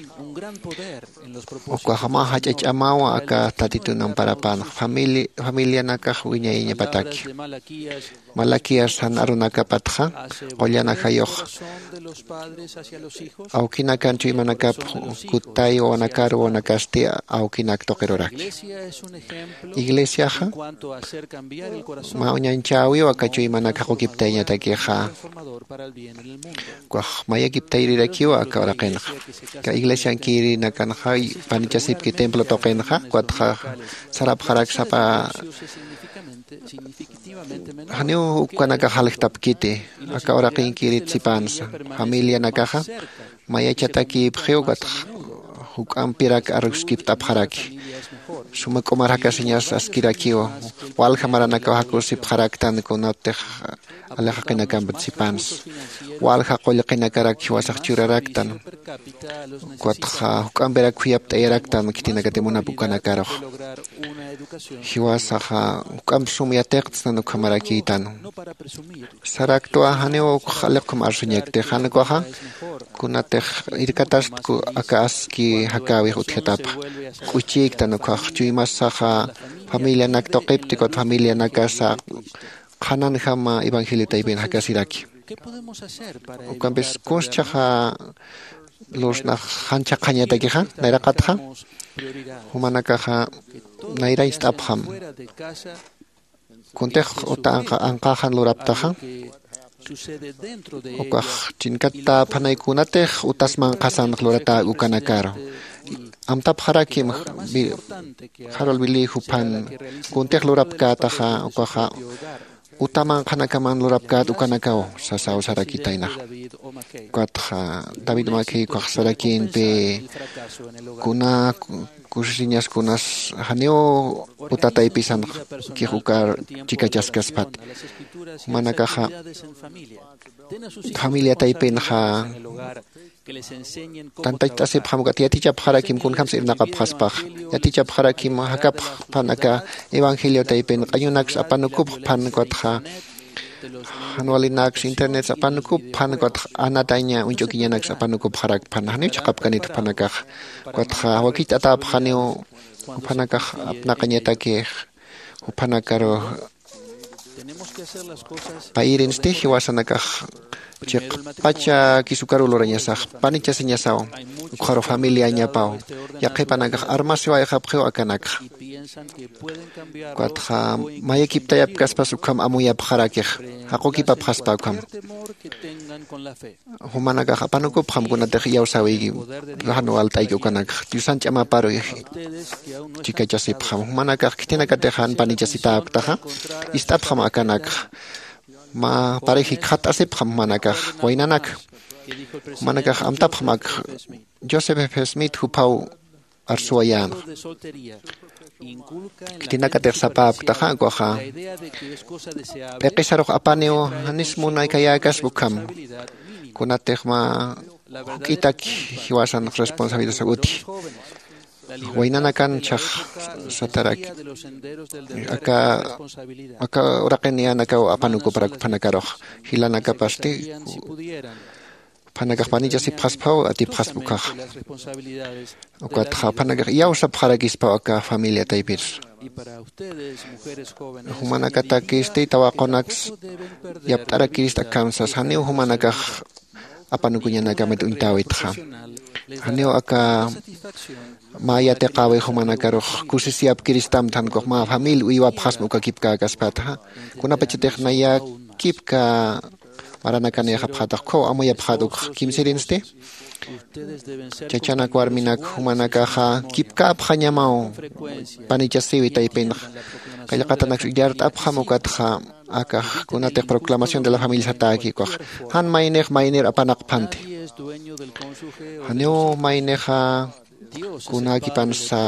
Ukaxa mä jach'a ch'amawa aka tatitun amparapan familianakax wiñayañapataki. Malaquías jan arunakapatxa qullan ajayux awkinakan chuymanakap kutay wawanakar wawanakasti awkinak tuqiruraki. Iglesiaxa mä uñañchäwiw aka chuymanak jaqukiptayañatakixa. Ukax mayakiptayrirakiw aka uraqinxa. Aka iglesiankirinakanxa panichasipki templo tuqinxa ukatxa sarapxarak sapa janiw ukanakax jaljtapkiti. Aka uraqinkirit sipansa familianakaxa mayachatakïpxiw ukatxa juk'ampirak aruskipt'apxaraki. Suma k'umar jakasiñas askirakiw walja maranakaw jakusipxaraktan kunatix alixaqinakampat sipansa walja qullqinakarak jiwasax churaraktan. Ukatxa juk'ampirak khuyapt'ayaraktan khitinakati munap ukanakarux jiwasaxa juk'amp sum yatiqtsnan ukhamarakïtan. Saraktwa janiw ukx aliqkhum arsuñakti jan ukaxa kunatix irkatastku aka aski jakäwix utjatapxa k'uchïktan ukkhax chuymasaxa familianak tuqipti ukat familianakasa qhananjama evangelio taypin jakasiraki. Ukampis kunschhaxa lursnax janchha qhañatakixa nayraqatxa jumanakaxa nayrañcht'apxam. Kuntix uta anqaxan luraptaxa ukax chinkatapxanay kunatix utas manqhasanx luratäk ukanakaru amtapxarakim. Jarol wilï juphan kuntix lurapkätaxa ukaxa uta manqhanakaman lurapkät ukanakaw sasaw sarakitaynax. Ukatxa david makhiy ukax sarakïnpi kuna kusisiñas kunas janiw uta taypisanx ukix ukar chikachaskaspat jumanakaxa familia taypinxa tantacht'asipxam ukat yatichapxarakim kunjams irnaqapxaspax yatichapxarakim jakapxpan aka evangelio taypin q'añunaks apanukupxpan ukatxa jan walinaks internets apanukupxpan ukatxa anataña uñch'ukiñanaks apanukupxarakpan janiw chhaqapkanit juphanakax. Ukatxa wakicht'atäpxaniw juphanakax apnaqañatakix juphanakaru payirinsti jiwasanakax chiqpacha kisukaru lurañasax panichasiñasaw ukxaru familiañapaw yaqhipanakax armasiwayxapxiw akanakxa. Ukatxa mayakiptayapkaspas ukham amuyapxarakix jaqukipapxaspa ukham jumanakax apanukupxam kunatix iyawsäwiyki jan walt'ayki ukanakxa diosan ch'amaparu chikachasipxam jumanakax khitinakatix jan panichasitäpktaxa ist'apxam akanakxa mä parix jikxatt'asipxam jumanakax waynanaka jumanakax amtapxam ak joseph f smith juphaw arsuwayänxa. Khitinakatix sapäpktaxa ukaxa p'iqisarux apaniw janis munakayäkaspa ukham kunatix mä juk'itak jiwasan responsabilidad utji waynanakan chhax satarak aka aka uraqin niyanakaw apanukuparak uphanakarux jilanakapasti juphanakax panichasipxasphaw atipxaspa ukhaxa. Ukatxa juphanakax iyawsapxarakispaw aka familia taypir jumanakatakisti tawaqunaks yapt'arakirist akham sas janiw jumanakax apanukuñanakamit uñtäwitxa janiw aka mä yatiqäwi jumanakarux kusisiyapkiristamtxa jan ukax mä famil uywapxasma uka kipkäkaspatxa kunapachatix naya kipka maranakanïxapxätax ukkhaw amuyapxät ukx kimsirinsti. Chachanak warminak jumanakaxa kipkäpxañamaw panichasiwi taypinx qillqatanaksa illart'apxam ukatxa akax kunatix proclamación de la familia satäki ukax jan maynix maynir apanaqphanti janiw maynixa kunäkipansa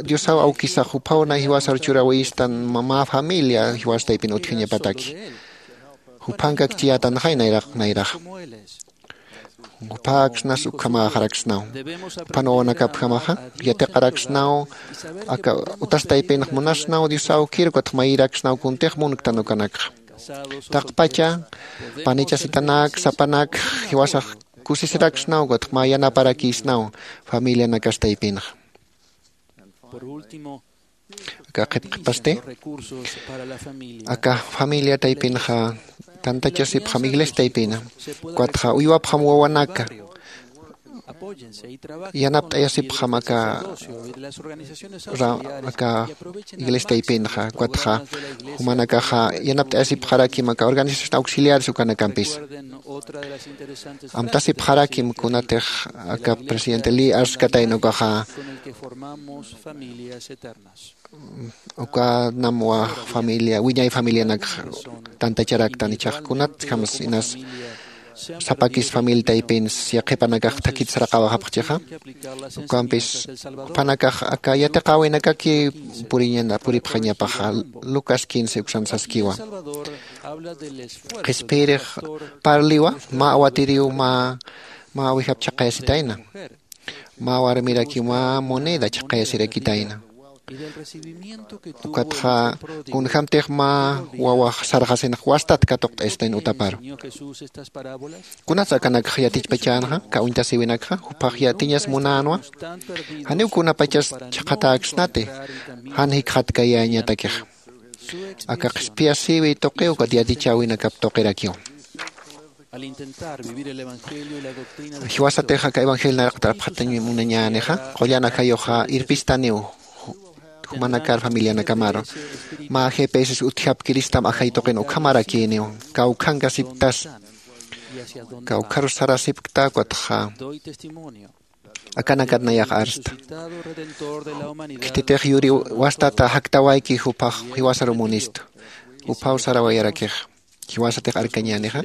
diosaw awkisax juphaw nay jiwasar churäwistan mä familia jiwas taypin utjañapataki juphankak chiyätanxay nayraq nayrax. Juphaksnas ukhamäxaraksnaw juphan wawanakapjamaxa yatiqaraksnaw aka utas taypinx munasnaw diosaw kirkutx mayiraksnaw kuntix munktan ukanakxa. Taqpacha panichasitanak sapanak jiwasax kusisiraksnaw, ukatxa mä yanaparakïsnaw familianakas taypinxa. Aka qhipqhipasti, aka familia taypinxa tantachasipxam iglesia taypina, ukatxa uywapxam wawanaka, yanapt'ayasipxam aka ra-, aka iglesia taypinxa, ukatxa jumanakaxa yanapt'ayasipxarakim aka organización auxiliares ukanakampis. Amtasipxarakim kunatix aka presidente Lee arskatayna ukaxa, ukanam wä familia, wiñay familianakxa tantacharaktan, ichhax kunatjams inas sapakis familia taypins yaqhipanakax thakit saraqawayapxchixa. Ukampis jupanakax aka yatiqäwinakaki puriñana, puripxañapaxa. Lucas quince uksan saskiwa. Qhispiyirix parliwa mä awatiriw, mä, mä wijap chhaqayasitayna. Mä warmirakiw mä moneda chhaqayasirakitayna. Ukatxa kunjämtix mä wawax sarxasinx wastat katuqt'ayasitayna utaparu. Kunats akanakxa yatichpachänxa, aka uñtasiwinakxa, juphax yatiñas munänwa. Janiw kunapachas chhaqhatäksnati, jan jikxatkayäñatakix. Aka qhispiyasïwi tuqiw, ukat yatichäwinakap tuqirakiw. Jiwasatix aka evangelio nayraqat arpxatañ munañänixa, qullan ajayuxa irpistaniw jumanakar familianakamaru. Mä G P S utjapkiristam ajay tuqin ukhamarakïniw, kawkhankasipktas, kawkharus sarasipkta, ukatxa akanakat nayax arsta. Khititix yuriw wastata jaktawayki, juphax jiwasaru munistu. Juphaw sarawayarakix. Jiwasatix arkañänixa.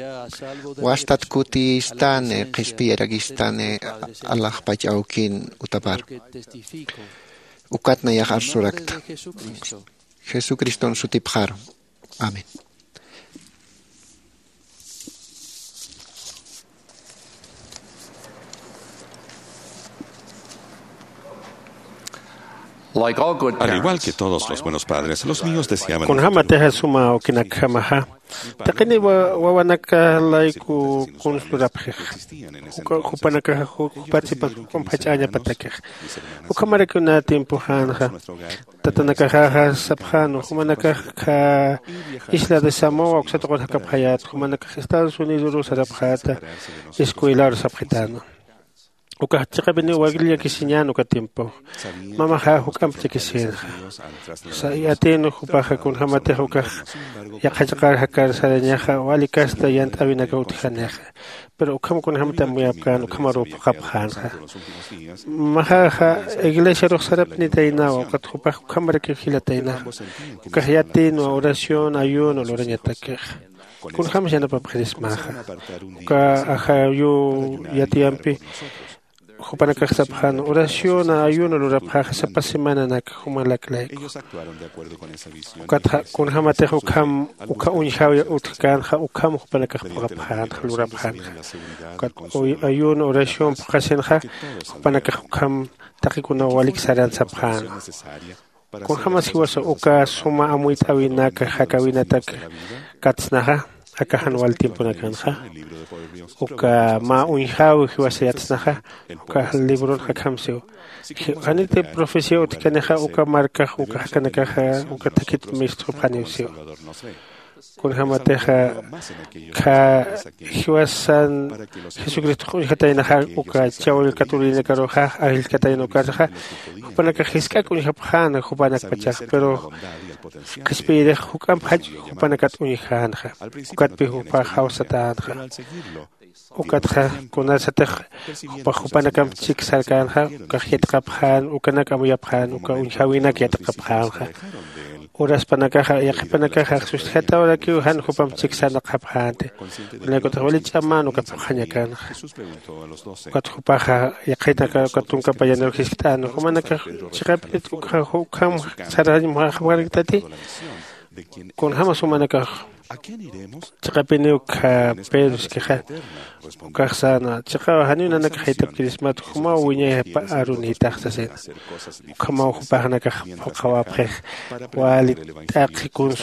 Wastat kutistani, qhispiyarakistani, alaxpach awkin utapar. Ukat nayax arsurakta. Jesucriston sutipxaru. Amén. Al igual que todos los buenos padres, los míos deseaban un futuro. Kunjämatixa suma awkinakjamaxa, taqini wa-, wawanaka layku kuns lurapxixa. Juka-, jupanakaxa ju-, jupat sipas juk'amp jach'añapatakixa. Ukhamarakiw nä tiempoxänxa. Tatanakaxaxa sapxäna, jumanakax isla de Samoa uksa tuqir jakapxayät, jumanakax Estados Unidoru sarapxäta, escuelaru sapxitäna. Ukax chiqapiniw wali llakisiñän uka tiempo. Mamaxa juk'amp llakisïnxa. Sa-, yatïn jupaxa kunjämatix ukax yaqha chiqar jakar sarañaxa, wali kasta yant'äwinakaw utjanixa. Pero ukham kunjämti amuyapkän, ukhamaruw phuqhapxänxa. Maxaxa iglesiarux sarapnitaynawa, ukat jupax ukhamarakiw jilataynaxa. Ukax yatïnwa oración, ayuno lurañatakixa. Kunjämsa yanapapxirismaxa. Uka ajayu yatiyampi jupanakax sapxän, oración, ayuno lurapxäxa sapa semananak jumalak layku. Ukatxa kunjämatix ukham, ukha uñjäwi utjkänxa, ukham jupanakax phuqhapxänxa, lurapxänxa. Ukat uy-, ayuno, oración phuqhasinxa, jupanakax ukham taqikunaw walik saran sapxän. Kunjämas jiwasa uka suma amuyt'äwinak jakäwinatak katsnaxa, aka jan wal tiemponakanxa. Uka mä uñjäwi jiwasa yatsnaxa, uka libron akham siw. Ji-, janiti profecía utjkanixa, uka markax, uka jakanakaxa, uka thakit mistxupxaniw siw. Kunjämatixa, kha jiwasan Jesucristox uñjataynaxa, uka chawll katurinakaruxa, ajillkatayna ukarxa, jupanakax jisk'ak uñjapxäna, jupanakpachax, pero qhispiyirix juk'amp jach jupanakat uñjänxa, ukatpi jupax jawsatänxa. Ukatxa kunasatix jupax jupanakamp chik sarkänxa, ukax yatiqapxän, ukanak amuyapxän, uka uñjäwinak yatiqapxänxa. Uraspanakaxa, yaqhipanakaxa, sustjatawarakiw jan jupamp chik sarnaqxapxänti. Kunaykutix wali ch'amän uka phuqhañakanxa. Ukat jupaxa, yaqhitanaka, uka tunka payanir jiskt'än, jumanakax chiqapinit uka, ukham sarañ muxaxapxaraktati. Kunjämas jumanakax chiqapiniw kha Pedro iskixa, ukax säna, chiqaw janiw nanakax jayt'apkirismat, jumaw wiñayapa arunïtax sasina. Ukhamaw jupaxnakax phuqhawapxix, wali t'aqhi kuns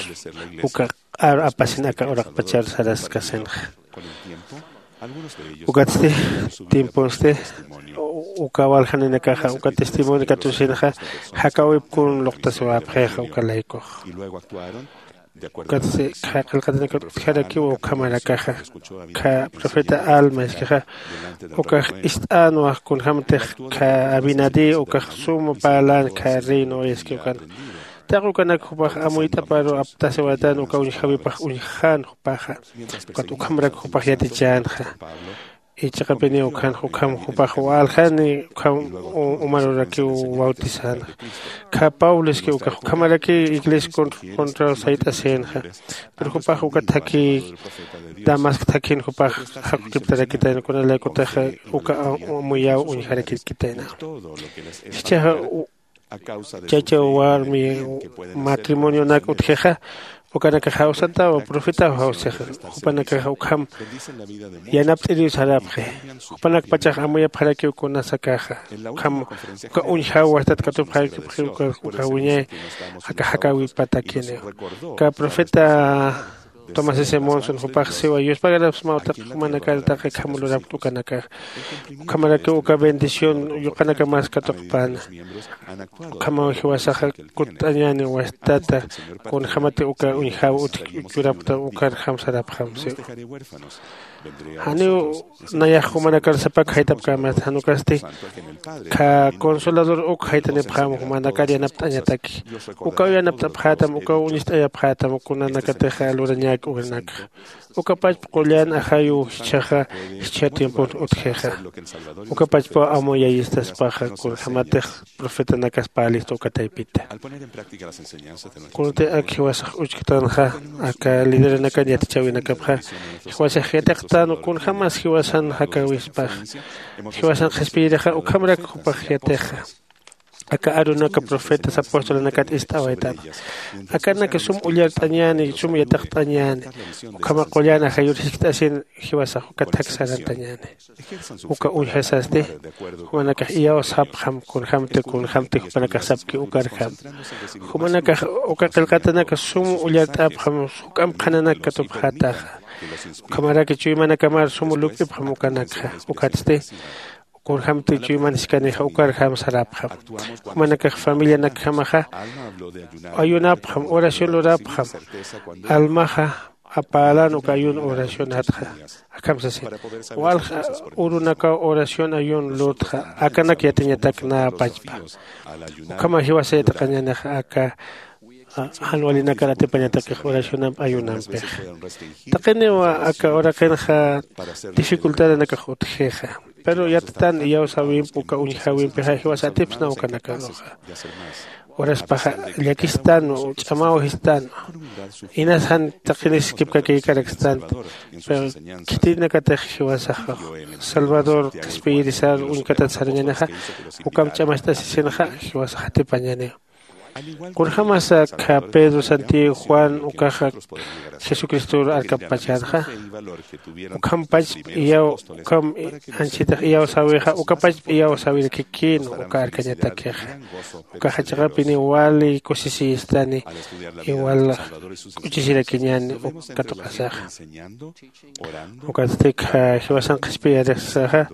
uka aru apasin aka uraqpachar saraskasinxa. Ukatsti tiemponsti uka waljaninakaxa uka testimonio katusinxa jakäwip kun luqtasiwäpxixa uka laykux. Ukatsti qillqatanakat utjarakiw ukhamarakaxa. Kha profeta alma iskixa ukax ist'änwa kunjämtix kha abinadí ukax suma parlän kha reino iski ukan. Taqi ukanak jupax amuyt'aparu aptasiwaytan uka uñjäwipax uñjän jupaxa. Ukat ukhamarak jupax yatichänxa. Ichiqapiniw ukhanxa ukham jupax waljani ukham umarurakiw bautizänxa. Kha pablo iski ukax ukhamaraki iglesia contraw sayt'asïnxa. Pero jupax uka thakhi damasco thakhin jupax jaqukiptarakitayna kunalaykutaxa uka amuyäw uñjarakirkitayna. Jichhaxa chacha warmi matrimonionak utjixa ukanakax jawsantawa profetaw jawsixa. Jupanakaxa ukham yanapt'iriw sarapxi. Jupanakpachax amuyapxarakiw kunasakaxa ukham uka uñjaw wastat katupxarakipxi ukax wiñay aka jakäwipatakiniw. Uka profeta tomás s monson jupax siwa yuspagarapsmaw taqi jumanakar taqi kham lurapkt ukanakax. Ukhamarakiw uka bendición yuqanakamas katuqpäna. Ukhamaw jiwasaxa kutt'añäni wastata kunjämati uka uñjäw utji churapkta ukarjam sarapxam siwa. Janiw nayax jumanakar sapak jayt'apkämasta jan ukasti kha consolador uk jayt'anipxäma jumanakar yanapt'añataki. Ukaw yanapt'apxätam ukaw uñist'ayapxätam kunanakatixa lurañäki ukanakxa. Uka pachpa qullan ajayuw jichhaxa jichha tiempon utjixa. Uka pachpaw amuyayistaspaxa kunjämatix profetanakas parlista uka taypita. Kunatï ak jiwasax uchktanxa aka lideranakan yatichäwinakapxa jiwasax yatiqtän kunjämas jiwasan jakäwispaxa. Jiwasan qhispiyirixa ukhamarak jupax yatixa. Aka arunaka profetas apostolanakat ist'awaytänxa. Akanaka sum ullart'añäni sum yatiqt'añäni. Ukhama qullan ajayur jiskt'asin jiwasax uka thak saratañäni. Uka uñjasasti jumanakax iyawsapxam kunjämti kunjämti jupanakax sapki ukarjam. Jumanakax uka qillqatanaka sum ullart'apxam juk'amp qhananak katupxätaxa. Ukhamaraki chuymanakamar sum lup'ipxam ukanakxa. Ukatsti kunjämti chuyman jiskanixa ukarjam sarapxam. Jumanakax familianakjamaxa ayunapxam oración lurapxam. Almaxa apälän uka ayuno oracionatxa. Akham sasin walja urunakaw oración ayuno lurtxa. Akanak yatiñatak nä pachpa ukhama jiwasa yatiqañänixa aka jan walinakar atipañatakix oracionamp ayunampixa. Taqiniw aka uraqinxa dificultadanakax utjixa. Pero yattan iyawsäwimp uka uñjäwimpixa jiwasa atipsna ukanakaruxa. Uraspaxa llakistan ch'amaw jistan. Inas jan taqinis kipkakïkarakstan. Pero khitinakatix jiwasaxa salvador qhispiyirisar uñkatat sarañänixa ukamp ch'amast'asisinxa jiwasax atipañäniw. Kunjämasa kha pedro santiago juan ukaxa jesucristor arkapachänxa. Ukham pachp iyaw ukham anchhitax iyawsäwixa uka pachp iyawsäwirakikïn uka arkañatakixa. Ukaxa chiqapiniw wali kusisiyistani. Iwal k'uchisirakiñäni uk katuqasaxa. Ukatsti jiwasan qhispiyirisaxa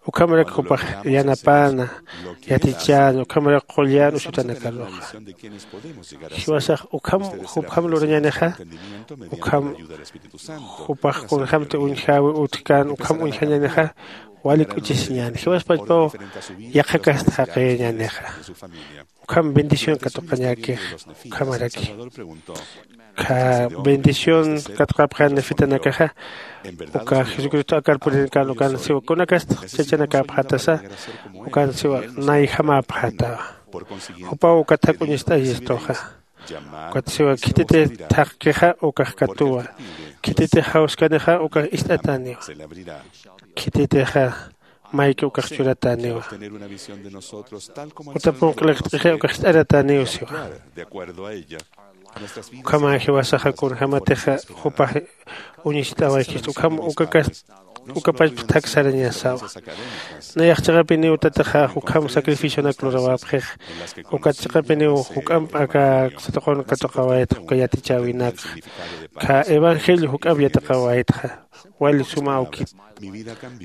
ukhamarak jupax yanapäna yatichäna ukhamarak qullan usutanakaruxa. Jiwasax ukham jupjam lurañänixa. Ukham jupax kunjämti uñjäwi utjkän ukham uñjañänixa. Wali k'uchisiñäni jiwaspachpaw yaqhakast jaqïñänixa. Ukham bendición katuqañäkix ukhamaraki kha bendición katuqapxän nefitanakaxa. Uka jesucristo akar puririnkan ukan siwa kunakast chachanakäpxätasa ukan siwa nayjamäpxätawa. Jupaw ukat jak'uñist'ayistuxa. Ukat siwa khititix thaqkixa ukax katuwa. Khititix jawskanixa ukax ist'atäniwa. Khititixa mayki ukax churatäniwa. Uta punq'liqt'ixi ukax ist'aratäniw siwa. Ukhama jiwasaxa kunjämatixa jupax uñist'awaykistu ukham ukakas Ukapachpxtak sarañasawa. Nayax chiqapiniw tatixa ukham sacrificionak lurawapxix. Ukat chiqapiniw juk'amp aka satuqun katuqawaytxa uka yatichäwinakxa. Kha evangelio juk'amp yatiqawaytxa. Wali suma awkit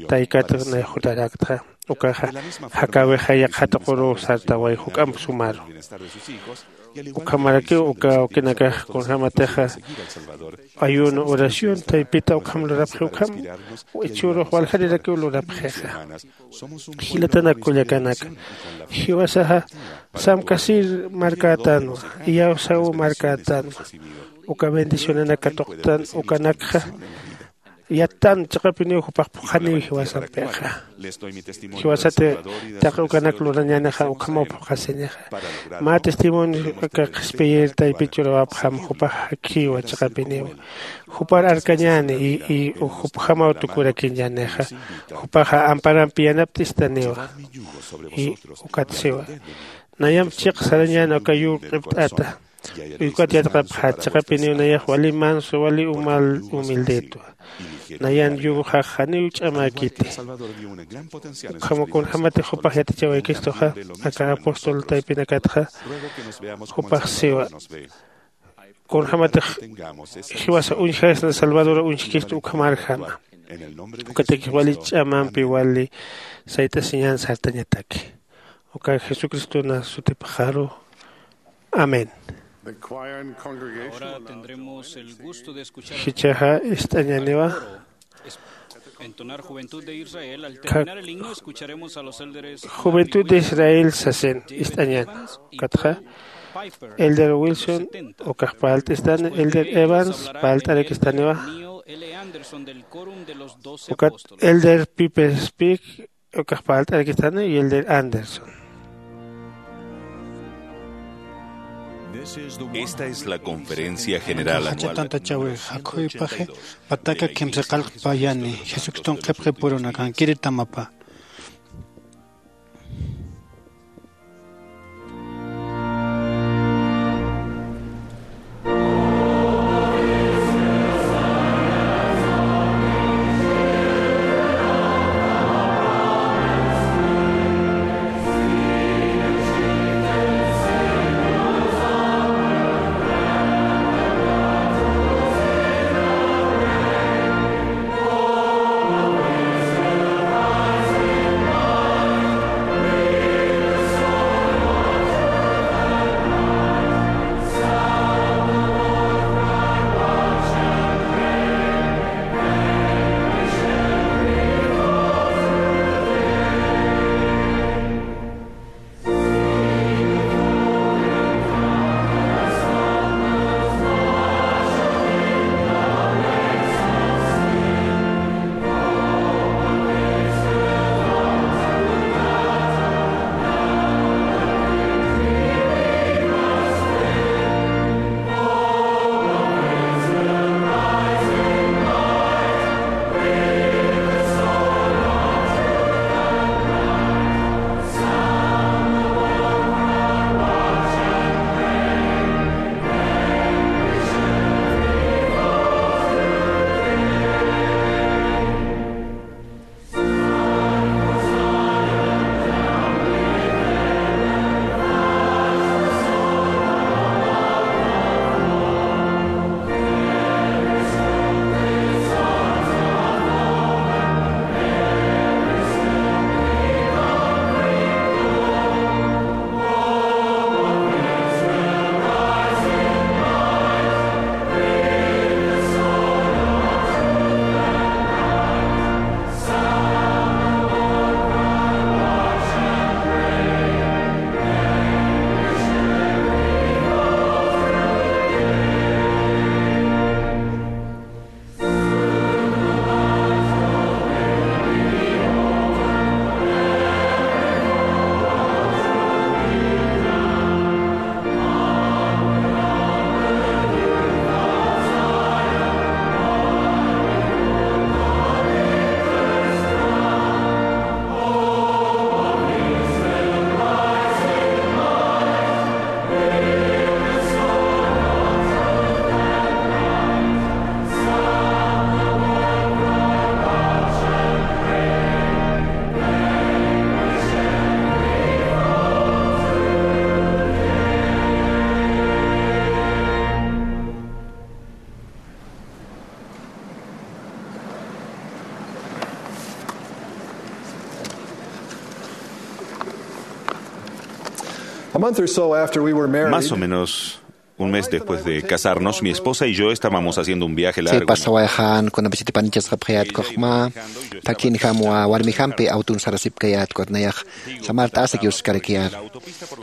taykat nayax jutaraktxa. Ukaxa jakäwixa yaqha tuquruw sartaway juk'amp sumaru. Ukhamarakiw uka awkinakax kunjämatixa ayuno oración taypita ukham lurapxi ukham ichhürux waljarirakiw lurapxixa. Jilatanak kullakanaka, jiwasaxa samkasir markätänwa, iyawsaw markätänwa. Uka bendicionanak katuqtan ukanakxa yattan chiqapiniw jupax phuqhaniw jiwasampixa. Jiwasati taqi ukanak lurañänixa ukhamaw phuqhasinixa. Mä testimonio aka qhispiyir taypit churawapxam jupax jakhiwa chiqapiniw. Jupar arkañäni y jupjamaw tukurakiñänixa. Jupaxa amparampi yanapt'istaniwa. Y ukat siwa, nayamp chiq sarañäni aka yur q'ipt'ata. Ukat yatqapxat chiqapiniw nayax wali manso wali umal humildetwa. Nayan yuruxax janiw ch'amäkiti. Ukham kunjämatix jupax yatichawaykistuxa aka apóstol taypinakatxa jupax siwa, kunjämatix jiwasa uñjasna salvadora uñjkistu ukhamarjama. Ukatakix wali ch'amampi wali sayt'asiñan sartañataki. Uka jesucristona sutipxaru. Amén. Jichhaxa ist'añäniwa. Juventud de Israel sasin ist'añäni. Ukatxa elder Wilson ukax parlt'istani, elder Evans parlt'arakistaniwa. Ukat elder Piper Speak ukax parlt'arakistani y elder Anderson. Esta es la conferencia general anual. Jach'a tantachäwi jakhuypaxi pataka kimsaqallqpayani jesucriston qhipxipurunakankiri tamapa. A month or so after we were married, más o menos un mes después de casarnos, mi esposa y yo estábamos haciendo un viaje largo. Pasawayxan kunapachati panichasqapxayät kuxma takin jamwa warmi jampi awtun sarasipkayät kutnayax samart'asak yuskarakiyar.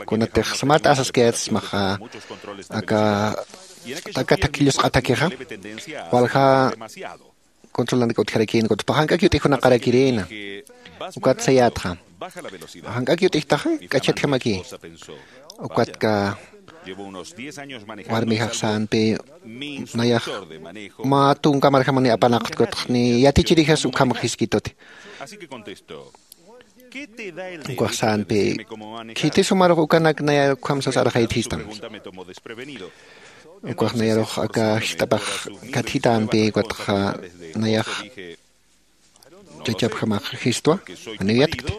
Kunatix samart'asaskayät smaxa aka taka takillusq'atakixa walja controlanaka utjarakïn kutpa jank'ak yut'ijunaqarakirïna. Ukat sayätxa jank'ak yut'ijtaxa k'achatjamaki. Ukatka warmijax sänpi nayax mä tunka marjamanï apanaqtkutx ni yatichirixas ukham jiskituti. Ukwax sänpi khiti sumarux ukanak nayar ukham sas arxaytjistam. Ukwax nayarux aka jist'apax katjitampi ukatxa nayax chachapjamax jistwa janiw yatkti.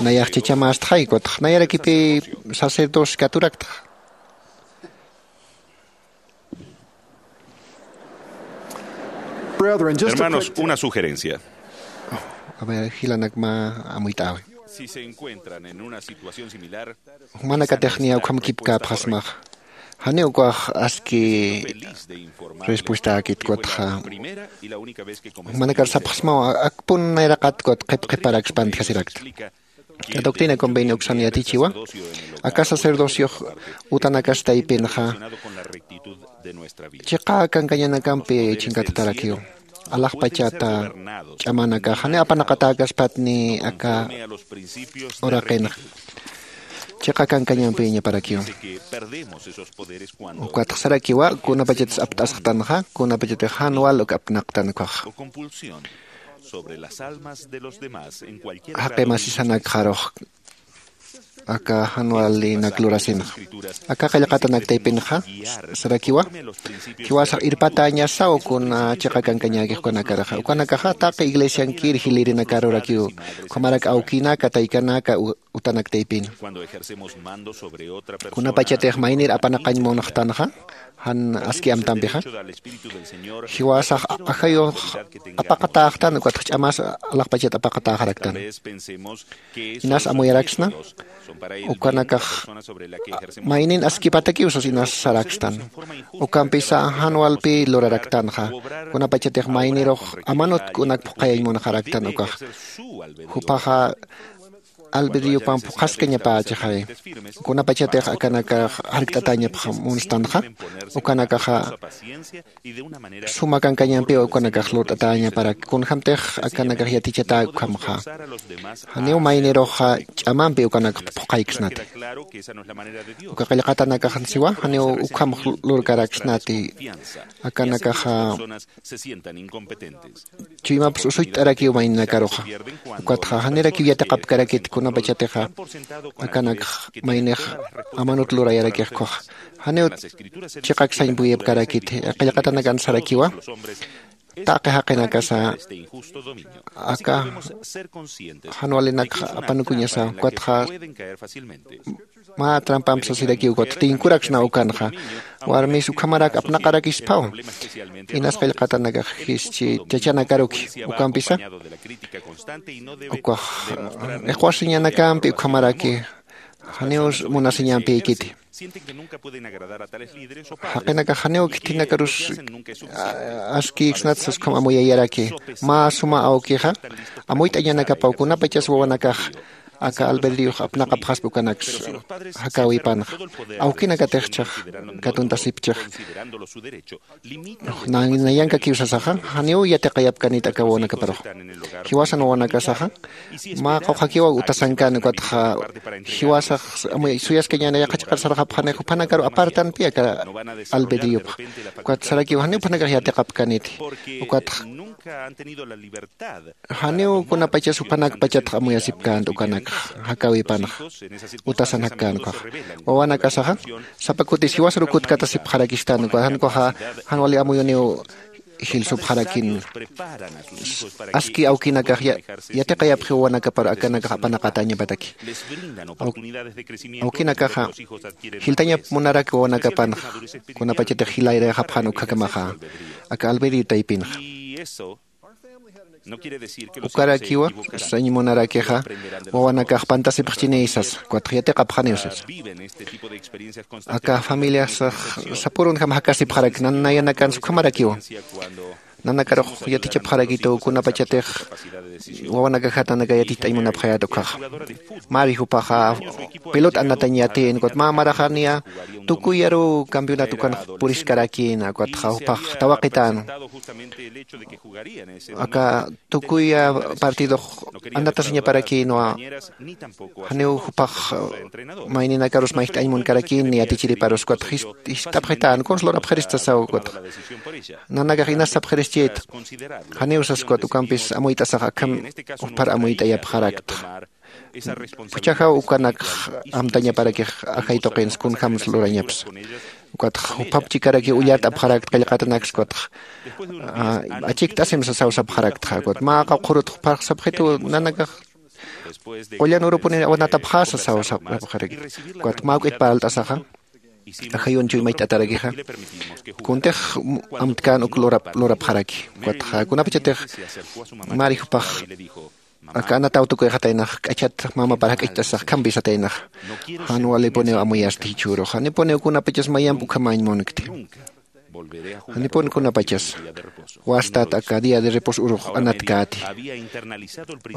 Nayax chachamästxay ukatx nayarakipï sacerdocio katurakta. Hermanos, una sugerencia. A ver, jilanak mä amuyt'äwi. Si se encuentran en una situación similar, jumanakatix niya ukham kipkäpxasmax janiw ukwax aski respuestakit kutxa jumanakar sapxsmaw akpun nayraqat kut qhip qhiparakspan tjasirakta. La doctrina convenio uksan yatichiwa aka sacerdociox utanakastaypinxa chiqa kankañanakampi chinkatatarakiw. Alaxpachata ch'amanakaxa ni apanaqatäkaspatni aka uraqinxa chiqa kankañampiñaparakiw. Ukatxsarakiwa kunapachatas apt'asxtanxa kunapachatix jan wal uk apnaqtan ukhaxa. Jaqi masisanakxarux aka jan walinak lurasinxa aka qillqatanaktaypinxa sarakiwa jiwasax irpatäñasaw kuna chiqa kankañäkix ukanakaraxa ukanakaxa taqi iglesiankir jilïrinakar urakiw ukhamarak awkinaka taykanaka utanaktaypin. Kunapachatix maynir apanaqañ munxtanxa jan aski amtampixa jiwasax ajayux apaqatäxtan ukatx ch'amas alaxpachat apaqatäxaraktan. Inas amuyaraksna ukanakax maynin askipatakiw sas inas sarakstan. Ukampisa jan walpi luraraktanxa kunapachatix maynirux amanut kunak phuqhayañ munxaraktan ukax jupaxa albedriopam phuqhaskañapächixay. Kunapachatix akanakax jarkt'atäñapx munstanxa ukanakaxa suma kankañampiw ukanakax lurt'atäñaparak kunjämtix akanakax yatichatäk ukhamxa janiw mayniruxa ch'amampi ukanakx phuqhayksnati. Uka qillqatanakaxan siwa janiw ukhamx lurkaraksnati. Akanakaxa chuymaps usucht'arakiw mayninakaruxa ukatxa janirakiw yatiqapkarakit kunapachatixa akanakx maynix amanut lurayarakix ukhaxa janiw chiqak sañpuyapkarakit. Qillqatanakan sarakiwa taqi jaqinakasa aka jan walinakxa apanukuñasa ukatxa mä trampamp sasirakiw ukatx tinkuraksna ukanxa warmis ukhamarak apnaqarakisphaw. Inas qillqatanakax jischi chachanakaruki ukampisa ukwax iqwasiñanakampi ukhamaraki janiw munasiñampïkiti. Jaqinakax janiw khitinakarus askïksnat sas ukham amuyayaraki mä suma awkixa amuyt'añanakapaw kunapachas wawanakax aka albedriox apnaqapxaspa ukanaks jakäwipanxa awkinakatix chhax katuntasipchix nayankakiw sasaxa janiw yatiqayapkanit aka wawanakaparux. Jiwasan wawanakasaxa mä qawqhakiwa utasankan ukatxa jiwasax amuy suyaskañäni yaqha chiqar sarxapxani juphanakaru apartanpi aka albedriopxa ukat sarakiw janiw juphanakax yatiqapkaniti. Ukatxa janiw kunapachas jupanakpachatx amuyasipkänti ukanakx jakäwipanxa utasan jakkän ukhaxa wawanakasaxa sapa kutis jiwasar ukut katasipxarakistan uka jan ukhaxa jan wali amuyuniw jilsupxarakin aski awkinakax yatiqayapxi wawanakapar akanakax apanaqatäñapataki. Awkinakaxa jiltañap munarak wawanakapanxa kunapachatix jilayrayxapxan ukhakamaxa aka albedrio taypinxa. Ukarakiwa sañ munarakixa wawanakax pantasipxchinïsas, ukatxa yatiqapxaniw sasa. Aka familiasax sapürunjam jakasipxarak, nanayanakansa ukhamarakiwa. Nanakarux yatichapxarakitu kunapachatix wawanakaxat nanaka yaticht'añ munapxayät ukhaxa. Mari jupaxa pelota anatañ yatïn, ukat mä maraxaniya tukuyaruw campeonato ukanx puriskarakïna, ukatxa jupax tawaqitän. Aka tukuya partidox anatasiñaparakïnwa, janiw jupax mayninakarus mayjt'añ munkarakïn ni yatichiriparus, ukat jis- jist'apxitän, kuns lurapxirista sasaw, ukatxa nanakax inas sapxirischïta. Janiw sas, ukat ukampis amuyt'asax akham jupar amuyt'ayapxarakta. Juchajaw ukanakx amtañaparakix ajay tuqins kunjams lurañapsa. Ukatx jupap chikarakiw ullart'apxarakta qillqatanaksa, ukatx achikt'asim sasaw sapxaraktxa, ukat mä qawqhurut jupar sapxitu nanakax qullan urupuni awanatapxäsa sasaw sapxarakta. Ukat mä juk'it parlt'asaxa ajayun chuymayt'atarakixa kuntix amtkän uk lurap lurapxaraki. Ukatxa kunapachatix mari jupax aka anataw tukuyxataynax k'achat mamapar jak'acht'asax khampisataynaxa, jan walipuniw amuyasti jichhürux, janipuniw kunapachas mayamp ukhamañ munkti. Janipun kunapachas wastat aka día de reposo urux anatkäti.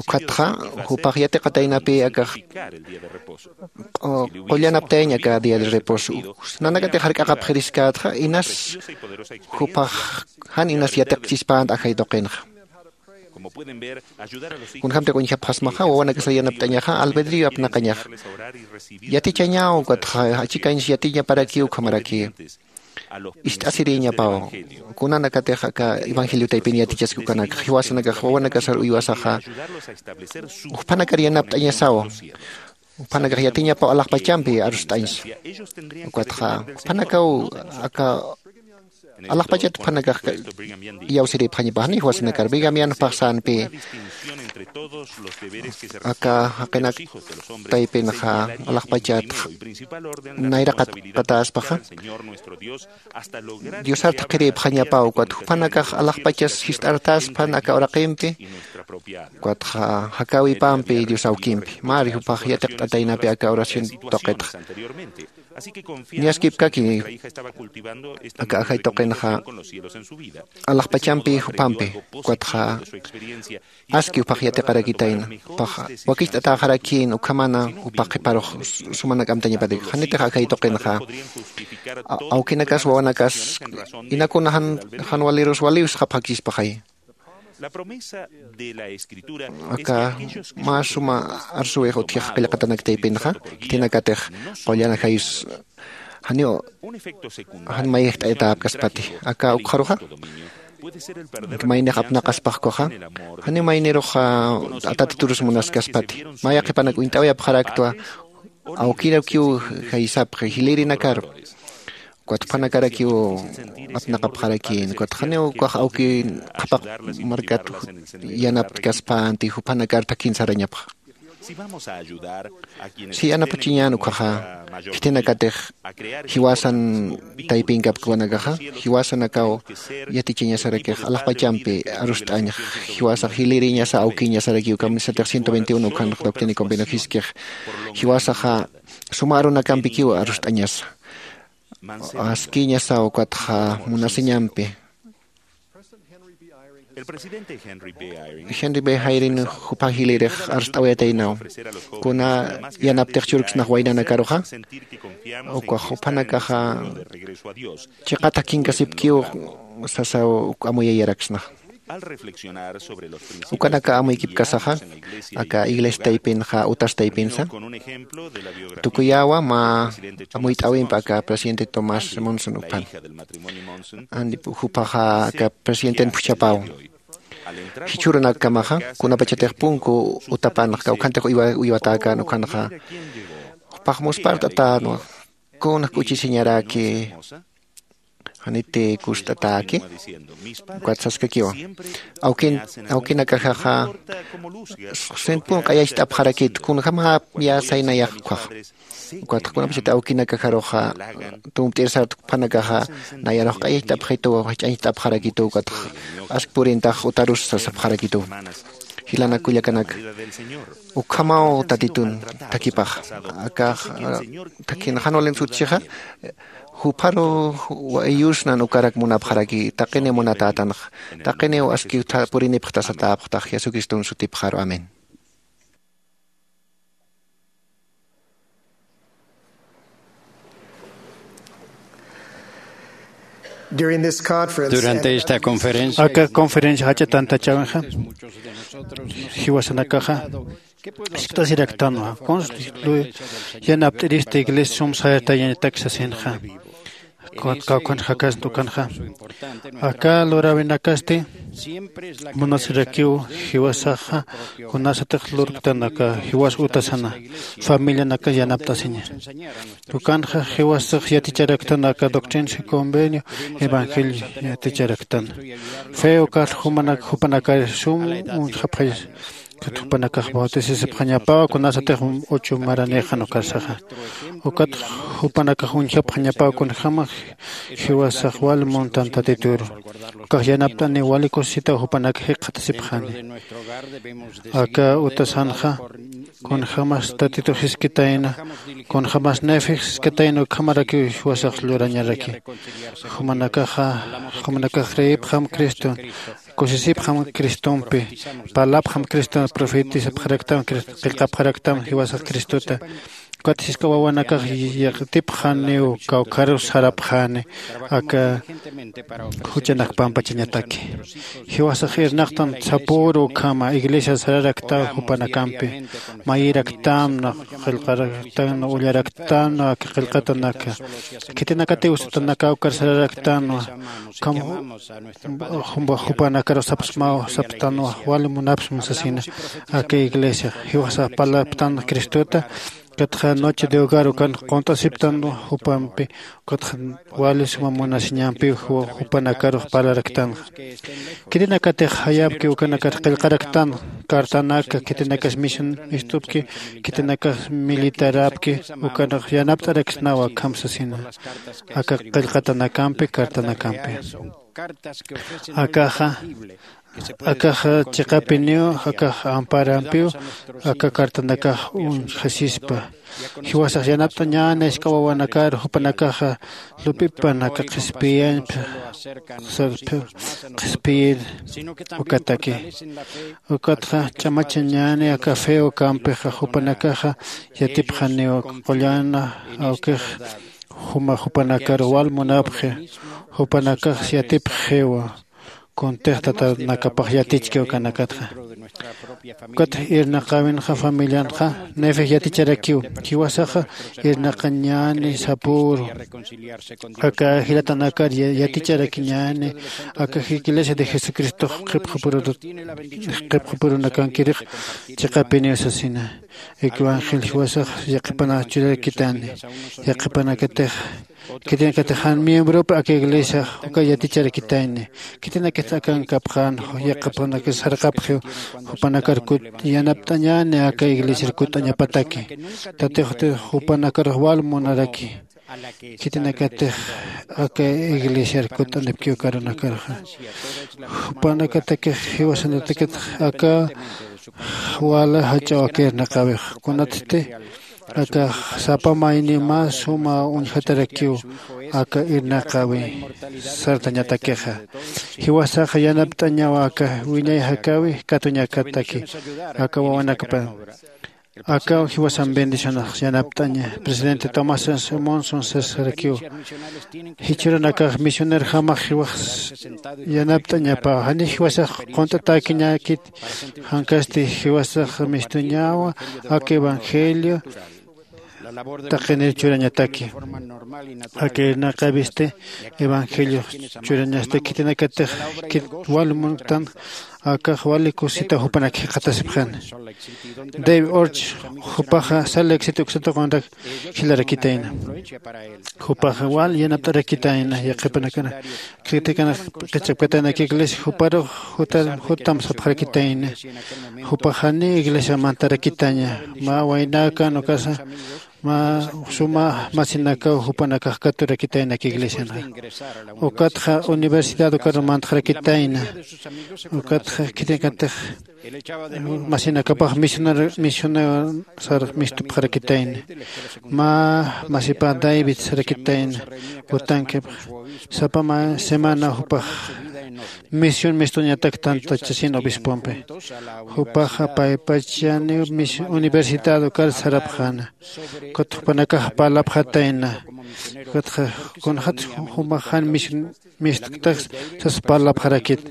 Ukhatxa jupax yatiqataynapï akax qullanaptayañ aka día de reposo. Nanakatix jark'aqapxiriskätxa inas jupax jan inas yatiqchispänta ajay tuqinxa. Kunjämtix uñjapxasmaxa wawanakasa yanapt'añaxa albedrío apnaqañaxa. Yatichañaw ukatxa achikañsa yatiñaparakiw ukhamarakiw. Ist'asirïñapaw kunanakatix aka evangelio taypin yatichaski ukanakxa jiwasanakax wawanakasar uywasaxa juphanakar yanapt'añasawa. Juphanakax yatiñapaw alaxpachampi arust'añsa. Ukatxa juphanakaw aka alaxpachat juphanakax iyawsiripxañapax janiw jiwasanakar brigamian jupax sänpï aka jaqinak taypinxa alaxpachat nayraqat qatäspaxa diosar thaqhiripxañapaw ukat juphanakax alaxpachas jist'artäspan aka uraqimpi. Ukatxa jakäwipampi dios awkimpi mari jupax yatiqt'ataynapï aka oración tuqitxa. Niyaskipkaki aka ajay tuqinxa alaxpachampi jupampi. Ukatxa aski jupax yatiqarakitayna jupaxa wakicht'atäxarakïn ukhamana jupax qhiparux sumanak amtañapatik janitix ajay tuqinxa awkinakas wawanakas inakuna jan walirus waliw sxapxakchispaxay. Aka mä suma arsuwix utjix qillqatanak taypinxa khitinakatix qullan ajayus janiw jan mayjt'ayatäpkaspati aka ukxaruxa maynix apnaqaspaxkuxa janiw maynirux atatiturus munaskaspati. Maya qhipanak uñt'awayapxaraktwa awkirakiw jaysapxi jilïrinakaru. Ukat juphanakarakiw apnaqapxarakïn ukat janiw ukax awki qhapaq markat yanaptkaspänti juphanakar thakin sarañapxa. Si anapachiñän ukhaxa khitinakatix jiwasan taypinkapkwanakaxa jiwasanakaw yatichañasarakix alaxpachampi arust'añx jiwasax jilïriñasa awkiñasarakiw kamisatix ciento veintiuno ukhanx doctrina y convenio jiskix jiwasaxa suma arunakampikiw arust'añasa askiñasaw ukatxa munasiñampi. Henry b jayrin jupan jilïrix arst'awayataynaw kuna yanaptix churksnax waynanakaruxa ukax juphanakaxa chiqat akinkasipkiw sasaw uk amuyayaraksnax. Ukanaka amuykipkasaxa aka iglesia taypinxa utas taypinsa tukuyäwa mä amuyt'äwimp aka presidente tomás monson upan. Jupaxa aka presidenten phuchhapaw jichhürunakamaxa kunapachatix punku utapanx kawkhantax uywatäkän ukhanxa jupax muspart'atänwa. Kuna k'uchisiñaraki Janiti kust'ataki. Ukat saskakiwa. Awkin awkinakaxaxa sinpun q'ayacht'apxarakit kunjämapya saynayax ukhaxa. Ukatxa kunapachat awkinakaxaruxa tumpt'ir sartkphanakaxa nayarux q'ayacht'apxituw jach'añcht'apxarakitu ukatxa ask purintax utarus sasapxarakitu. Jilanak kullakanaka, ukhamaw tatitun thakipaxa. Akax thakin jan walin sutchixa jupharu wayusnan ukarak munapxaraki taqini munatätanxa. Taqiniw aski purinipxta satäpxtax jesucriston sutipxaru amén. Durante esta conferencia aka conferencia jach'a tantachäwinxa jiwasanakaxa jiskt'asiraktanwa kunsa yanapt'irista iglesia sum sayatayañatak sasinxa. Kawkhanxakasnta ukanxa aka luräwinakasti munasirakiw jiwasaxa kunasatix lurktan aka jiwas utasana familianakas yanapt'asiña. Ukanxa jiwasax yaticharaktan aka doctrina y convenio evangelio yaticharaktan fe ukat jupanakar sum uñjapxay. Ukat jupanakax bautisisipxañapaw kunasatix uchu maranïxan ukarsaxa. Ukat jupanakax uñjapxañapaw kunjäma jiwasax wal muntan tatituru. Ukax yanapt'aniw wali kusisitaw jupanak jikxatasipxani. Aka utasanxa kunjämas tatitu jiskatayna kunjämas nefex jiskatayna ukhamarakiw jiwasax lurañaraki. Jumanakaxa jumanakax creepxam criston kusisipxam cristompi parlapxam criston profetisapxaraktam qillqapxaraktam jiwasax cristota. Ukat jisk'a wawanakax yatipxaniw kawkharus sarapxani aka juchanak pampachañataki. Jiwasax irnaqtan sapüru ukhama iglesia sararaktaw jupanakampi mayiraktamna qillqaraktanna ullaraktanna aka qillqatanaka khitinakatiw sutanakaw karsararaktanwa. Ukham jumba jupanakarux sapsmaw sapstanwa wali munapsma sasina. Aka iglesia jiwasax parlaptan cristota. Ukatxa noche de hogar ukan qunt'asiptan jupampi ukatxa wali suma munasiñampiw jupanakarux parlaraktanxa. Khitinakatix jayapki ukanakat qillqaraktan cartanaka khitinakas misionistupki khitinakas militarapki ukanakax yanapt'araksnawa akham sasina. Aka qillqatanakampi cartanakampi akaxa akaxa chiqapiniw akax amparampiw aka cartanakax uñjasispa. Jiwasax yanapt'añäni jisk'a wawanakar jupanakaxa lup'ipan aka qhispiyañpi qhispiyir ukataki. Ukatxa ch'amachañäni aka fe ukampixa jupanakaxa yatipxaniw aka qullana awkix juma jupanakar wal munapxi jupanakax yatipxiwa. Kuntix tatanakapax yatichki ukanakatxa. Ukat irnaqäwinxa familianxa nefex yaticharakiw jiwasaxa irnaqañäni sapüru aka jilatanakar yaticharakiñäni aka iglesia de jesucristox qhipxapurunakankirix chiqapiniw sasina. Aka evangelio jiwasax yaqhipanakax churarakitani yaqhipanakatix khitinakatix jan miembropi aka iglesiax uka yaticharakitayni khitinakatix akankapxän yaqhipanakax sarqapxiw jupanakar yanapt'añäni aka iglesiar kutt'añapataki. Tatix jupanakarux wal munaraki khitinakatix aka iglesiar kutt'anipkiw karunakarxa. Jupanakatakix jiwasanatakatix aka wala jach'aw aka irnaqäwix kunatsti aka sapa mayniw mä suma uñjatarakiw aka irnaqäwi sartañatakixa. Jiwasaxa yanapt'añaw aka wiñay jakäwi katuñakataki aka wawanakapa. Akaw jiwasan bendicionax yanapt'aña presidente tomás monson sasarakiw. Jichhüranakax misionerjamax jiwax yanapt'añapaw jani jiwasax qunt'atäkiñäkit. Jankasti jiwasax mistuñawa aka evangelio taqinir churañataki. Aka irnaqäwisti evangeliox churañasti khitinakatix khit wal munktan Akax wali kusita jupanak jikxatasipxan. Dave Orch jupaxa sal éxito uksatuqunrak jilarakitayna. Jupaxa wal yanapt'arakitayna yaqhipanakana khitikana qichapkatayna aka iglesia juparux jutam sapxarakitayna. Jupaxani iglesia mantarakitaña mä waynaka nukasa mä suma masinakaw jupanakax katurakitayna aka iglesianxa. Ukatxa universidad ukaru mantxarakitayna. Ukatxa khitinakatix masinakapax misionar misionar sar mistupxarakitayna. Mä masipa david sarakitayna. Utankipx sapa mä semana jupax misión mistuñatak tantachasin obispompi. Jupaxa paypachani universidad ukar sarapxana. Ukat jupanakax parlapxatayna. Ukatxa kunxat jumaxan mistuktaks sas parlapxarakit.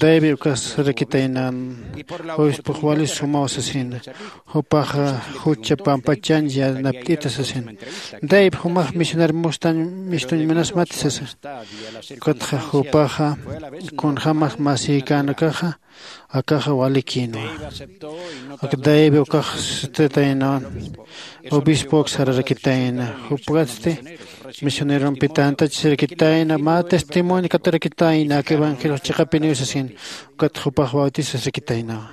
Dave ukas sarakitayna. Obispux wali sumaw sasina. Jupaxa jucha pampachan yanapt'ita sasina. Dave jumax misionar mustan mistuñ munasmati sasa. Ukatxa jupaxa kunjämax masïkänakaxa akaxa walikïnwa. Dave ukax sutitaynawan obispox sararakitayna. Jupkatsti misionerompi tantachasirakitayna mä testimonio katurakitayna aka evangeliox chiqapiniw sasin. Ukat jupax bautizasrakitaynawa.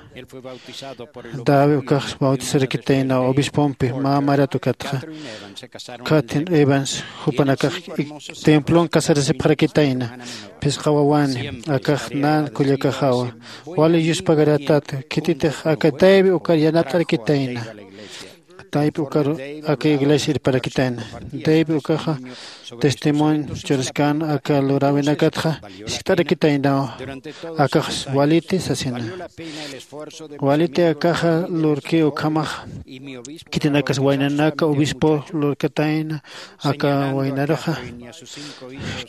Dave ukax bautizarakitaynaw obispompi mä marat ukatxa. Catherine evans jupanakax templon casarasipxarakitayna. Phisqa wawani akax nan kullakaxawa. Wali yuspagaratat khititix aka dave ukar yanapt'arakitayna. Dave ukar aka iglesia irparakitayna. Dave ukaxa testimonio churaskan aka luräwinakatxa jiskt'arakitaynaw. Akax waliti sasina. Waliti akaxa lurki ukhamax. Khitinakas waynanaka obispo lurkatayna. Aka waynaruxa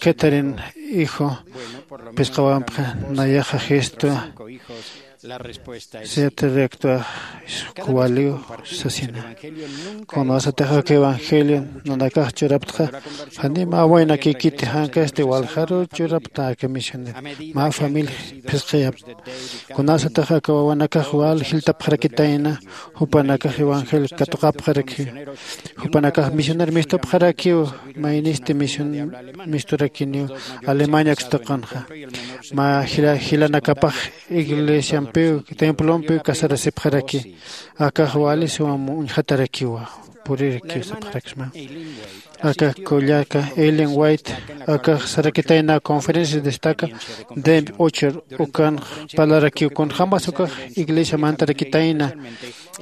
catherine hijo. Phisqawampxa nayaxa gesto siete recto kuwaliw sasina. Kunasatix aka evangelio nanakax churaptxa jani mä waynakikiti jankasti waljaru churapta aka misionero mä familia phisqiyapta. Kunasatix aka wawanakax wal jiltapxarakitayna. Jupanakax evangelio katuqapxarakiw. Jupanakax misioner mistupxarakiw. Maynisti misturakiniw alemania ukstuqanxa. Mä jilanakapax iglesiampiw templompiw casarasipxaraki. Akax wali sumam uñjatarakiwa. Purirakiw sapxaraksma. Aka kullaka ellen white akax sarakitayna conferencia destaca dave ochor ukan parlarakiw kunjämas ukax iglesia mantarakitayna.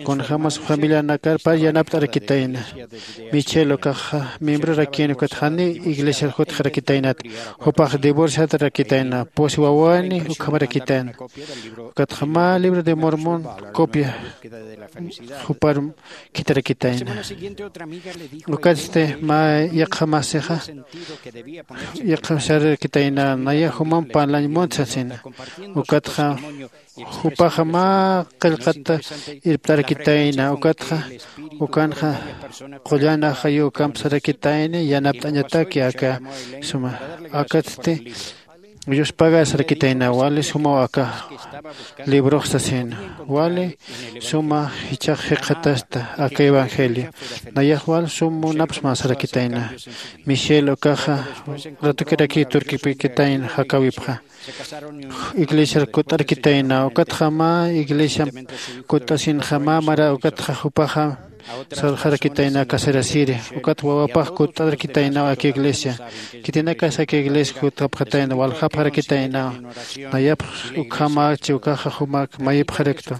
Kunjämas familianakar par yanapt'arakitayna. Michel ukaxa miembrorakin ukat jani iglesiar jutxarakitaynat. Jupax divorciatarakitayna pusi wawani ukhamarakitayna. Ukatxa mä libro de mormón copia juparum khitharakitayna. Ukatsti mä yaqha masixa yaqha sarakitayna naya jumam parlañ munt sasina. Ukatxa jupaxa mä qillqata irptarakitayna. Ukatxa ukanxa qullan ajayu ukamp sarakitayna yanapt'añataki aka suma. Akatsti yuspagar sarakitayna wali sumaw aka librox sasina. Wali suma jichhax jikxatasta aka evangelio. Nayax wal sum munapsma sarakitayna. Michel ukaxa ratukirakiw turkipikitayna jakäwipxa. Iglesiar kutt'arkitayna ukatxa mä iglesiamp kutt'asinxa mä mara ukatxa jupaxa sarxarakitayna casarasiri. Ukat wawapax kutt'arakitaynaw aka iglesia. Khitinakas aka iglesia jutapxatayna waljapxarakitaynaw. Nayapx ukhamächi ukaxa jumak mayipxaraktu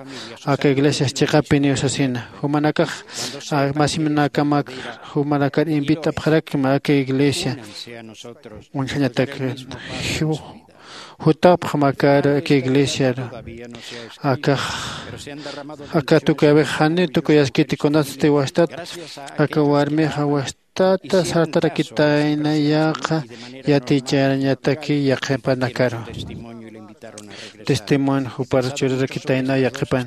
aka iglesias chiqapiniw sasina. Jumanakax masimanakamak jumanakar invitapxarakma aka iglesia. Uñjañatak jutapxamakar aka iglesiar. Akax aka tukuyawix jani tukuyaskiti kunatsti wastat aka warmixa wastata sartarakitayna yaqha yaticharañataki yaqhipanakaru. testimonio jupar churarakitayna yaqhipan.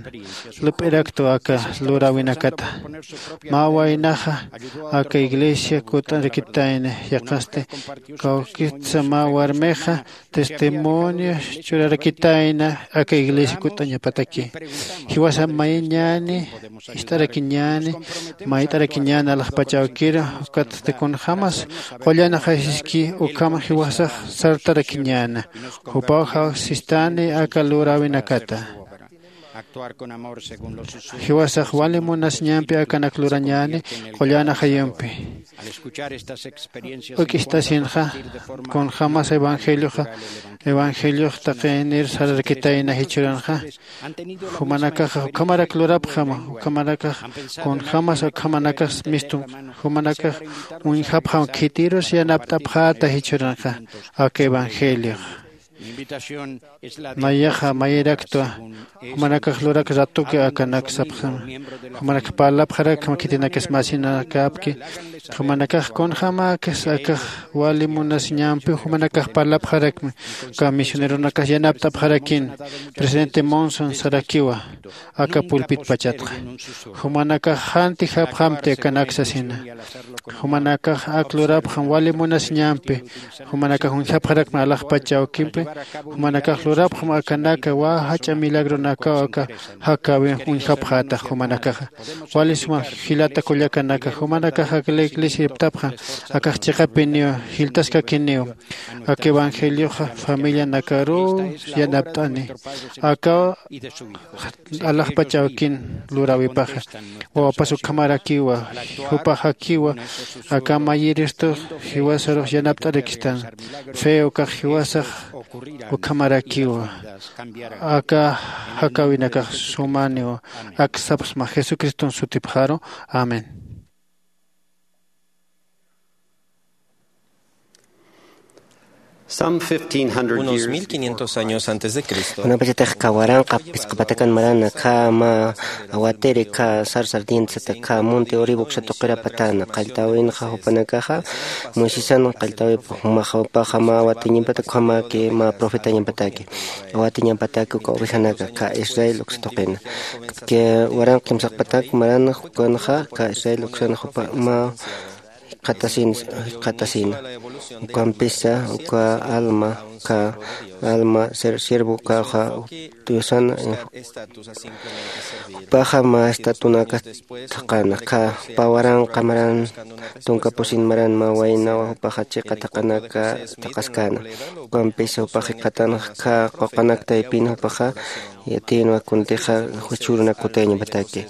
Lup'iraktu aka luräwinakata. Mä waynaxa aka iglesia kut'arakitayna yaqasti, kawkitsa mä warmixa testimonio churarakitayna aka iglesia kut'añapataki. Jiwasa mayñäni, ist'arakiñäni, mayt'arakiñäni alaxpach awkiru, ukatsti kunjämas qullan ajaysiski ukham jiwasax sartarakiñäna. Jupaw jawsistani aka luräwinakata. Jiwasax wali munasiñampi akanak lurañäni qullan ajayumpi. Uk'istasinxa kunjämas evangelioxa, evangeliox taqinir sararakitayna jichhürunxa. Jumanakaxa ukhamarak lurapxam, ukhamarakax kunjämas ukhamanakax mistum, jumanakax uñjapxam khitirus yanapt'apxäta jichhürunxa aka evangeliox. Nayaxa mayiraktwa, jumanakax lurak ratuki akanak sapxam. Jumanakax parlapxarakma khitinakas masinakäpki, jumanakax kunjämäkis akax wali munasiñampi jumanakax parlapxarakmi, uka misioneronakas yanapt'apxarakin. Presidente Monson sarakiwa aka pulpit pachatxa. Jumanakax janti japxamti akanak sasina. Jumanakax ak lurapxam wali munasiñampi. Jumanakax uñjapxarakmi alaxpach awkimpi. Jumanakax lurapxam akanaka wä jach'a milagronakaw aka jakäwin uñjapxätax jumanakaxa. Wali suma jilata kullakanaka, jumanakax ak la iglesia iptapxam akax chiqapiniw, jiltaskakiniw. Ak evangelioxa familianakaruw yanapt'ani. Aka alaxpach awkin luräwipaxa. Wawapas ukhamarakiwa, jupax jakiwa, aka mayiristux jiwasarux yanapt'arakistan. Fe ukax jiwasax ukhamarakiwa. Aka jakäwinakax sumaniw, ak sapxsma Jesucriston sutipxaru. Amén. Some fifteen hundred Unos years mil quinientos años antes de Cristo. Kunapachatix waranqa phisqa patakan marana, khä mä awatiri, khä sar sardiente sata, khä monte Olivo uksa tuqira patana, qalltäwinxa jupanakaxa, Moisesan qalltäwipa, jumaxa jupaxa mä awatiñampataki, ukhamäki mä profetañampataki, awatiñampataki uka ovejanaka, khä Israel uksa tuqina. Waranqa kimsaqpatak marana, ukanxa, khä Israel uksan jupa mä jikxatasin, jikxatasina. Ukampisa, uka alma, uka alma, ser-, siervo, ukaxa, Diosana, jupaxa mä estatunaka thaqana, khä, jupa waranqa maran, tunka pusin maran mä waynawa, jupaxa chiqa thaqanaka thaqaskäna. Ukampisa, jupax jikxatanxa, khä, quqanak taypin, jupaxa, yatiyinwa kuntixa jichhürunak kutayañapataki.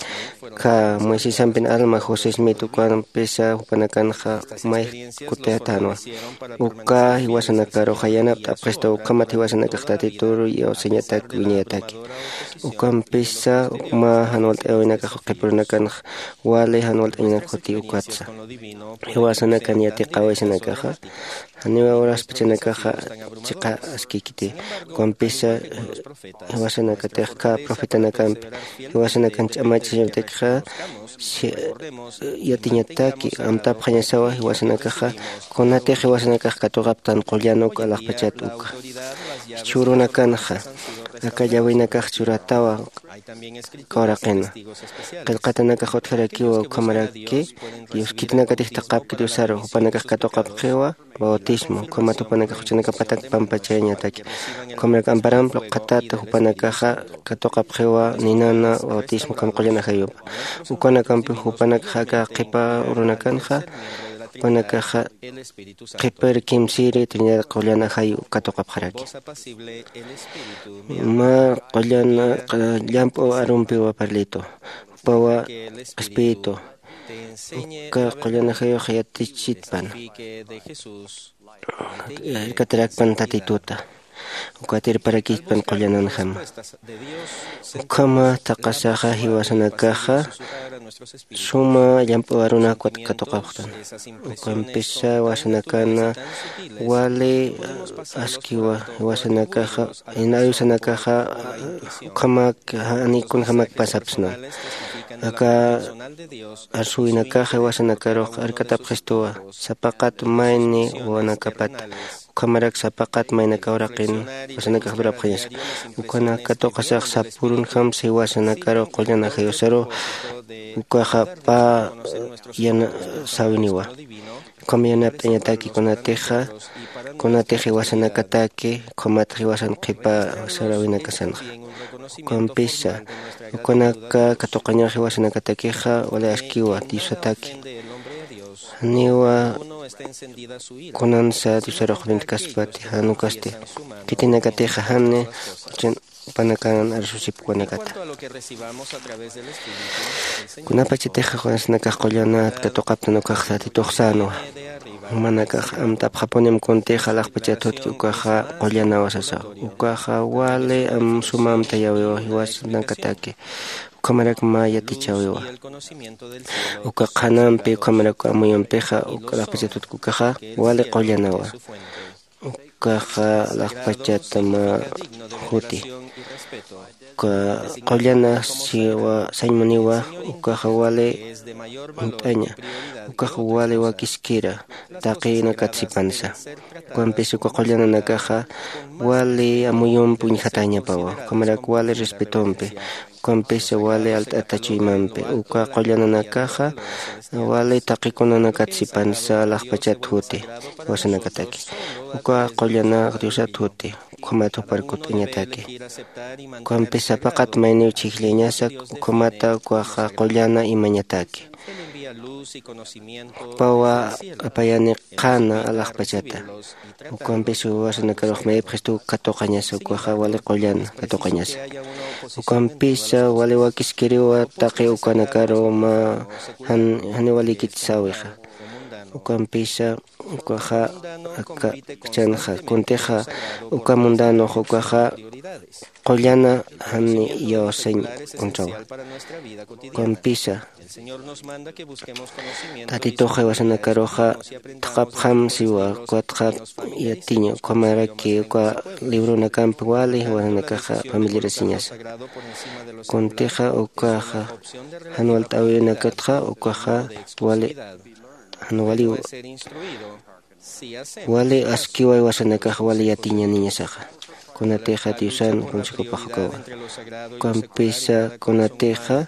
Khä Moisesampin alma José Smith ukampisa jupanakanxa may kutayatänwa. Uka jiwasanakaruxa yanapt'apxistu ukhamat jiwasanakax Tatitur iyawsañatak wiñayataki. Ukampisa mä jan walt'ayawinakax qhipirunakanxa wali jan walt'añanak juti ukatsa. Jiwasanakan yatiqäwisanakaxa janiw uraspachanakaxa chiqa askikiti. Ukampisa jiwasanakatix khä profetanakampi, jiwasanakan ch'amachasiñaptakxa, si-, yatiñataki, amtapxañasawa jiwasanakaxa, kunatix jiwasanakax katuqaptan qullan uk alaxpachat uka. Jichhürunakanxa, aka llawinakax churatawa, kawraqina. Qillqatanakax utjarakiwa ukhamaraki, Dios khitinakatix thaqapki Diosaru, jupanakax katuqapxiwa, bautismo, ukhamat jupanakax juchanakapatak pampachayañataki. Ukhamarak amparamp luqhatata jupanakaxa katuqapxiwa ninana bautismo ukham qullan ajayupa. Ukanakampi jupanakaxa aka qhipa urunakanxa, jupanakaxa qhipir kimsiri Trinidad qullan ajayu katuqapxaraki. Mä qullan, qa-, llamp'u arumpiwa parlitu. Jupawa Espíritu. Uka qullan ajayux yatichitpan. Irkatarakpan Tatituta. Ukat irparakispan qullananjama. Ukhama thaqasaxa jiwasanakaxa suma llamp'u arunak katuqapxtan. Ukampisa jiwasanakana wali askiwa jiwasanakaxa, inayusanakaxa ukhamak, jani kunjamak pasapsna. Aka arsuwinakaxa jiwasanakarux arkatapxistuwa, sapaqat mayni wawanakapata. Ukhamarak sapaqat maynaka uraqin wasanakax durapxañasa. Ukanak katuqasax sapürunjamsi wasanakaru qullan ajayusaru ukaxa pä yana sawiniwa. Ukham yanapt'añataki kunatixa kunatix iwasanakataki ukhamatix iwasan qhipa sarawinakasanxa. Ukampisa ukanaka katuqañax iwasanakatakixa wali askiwa diosataki. Janiwa kunansa diosarux uñtkaspati jan ukasti khitinakatixa jani juchan jupanakanan arsusipkwanakata. Kunapachatixa junasanakax qullanat katuqaptan ukax tatitux sänwa. Jumanakax amtapxapunim kuntixa alaxpachat jutki ukaxa qullanawa sasaw. Ukaxa wali suma amtayäwiwa jiwasanakataki. Ukhamarak mä yatichäwiwa. Uka qhanampi ukhamarak amuyumpixa alaxpachat jutki ukaxa wali qullanawa. Ukaxa alaxpachat mä juti uka qullana sañmuniwa. Ukaxa wali uñt'aña ukaxa wali wakiskira taqinakat sipansa. Ukampis uka qullananakaxa wali amuyumpi uñjatäñapawa ukhamarak wali respetompi ukampisa wali alt'ata chuymampi. Uka qullananakaxa wali taqikunanakat sipansa alaxpachat juti jiwasanakataki. Uka qullanax diosat juti ukhamat jupar kutt'añataki. Ukampisa sapaqat mayniw chhijllañasa ukhamata ukaxa qullana imañataki. Jupawa apayani qhana alaxpachata. Ukampis jiwasanakarux mayipxistu katuqañasa ukaxa wali qullana katuqañasa. Ukampisa wali wakiskiriwa taqi ukanakaru mä janiw walikit säwixa. Ukampisa ukaxa akchänxa kuntixa uka mundanux ukaxa qullana jani iyawsañ kunchäwa. Ukampisa tatitux jiwasanakaruxa thaqhapxam siwa ukatxa yatiña ukhamaraki uka libronakampi wali jiwasanakaxa familiarasiñasa. Kuntixa ukaxa jan walt'äwinakatxa ukaxa wali jan waliw wali askiwa jiwasanakax wali yatiñaniñasaxa. Kunatixa diosan consejopax ukawa. Ukampisa kunatixa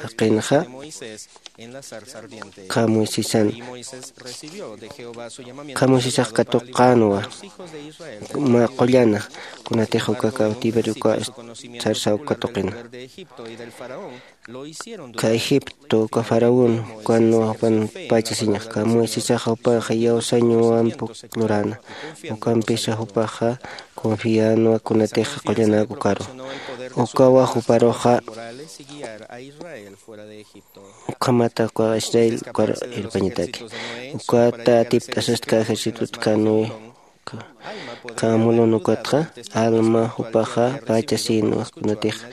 jaqinxa kha moisesan kha moisesax katuqänwa mä qullana. Kunatix uka cautiverio uka sarsaw katuqina. Kha egipto uka faraón ukanwa jupan pachasiñax kha moisesaxa jupaxa iyawsañwamp luräna. Ukampisa jupaxa confiänwa kunatix qullanäk ukaru. Ukawa juparuxa ukhamata uka israel ukar irpañataki. Ukata atipt'asastka ejércitotkanwi kha mulun ukatxa alma jupaxa pachasïnwa kunatix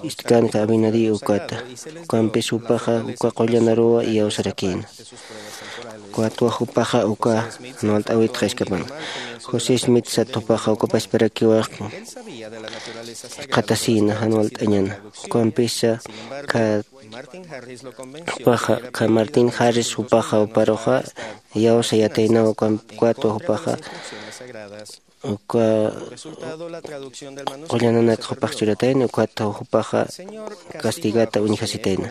istkanka abinadí ukata. Ukampis jupaxa uka qullanaruwa iyawsarakïna. Ukatwa jupaxa uka jan walt'äwitxa iskapan josé smith sat jupaxa uka pachparakiwa qhatasïna jan walt'añana. Ukampisa kha jupaxa kha martín jarris jupaxa juparuxa iyawsayataynawa. Ukatwa jupaxa uka qullananakxa jupax churatayna ukatwa jupaxa castigata uñjasitayna.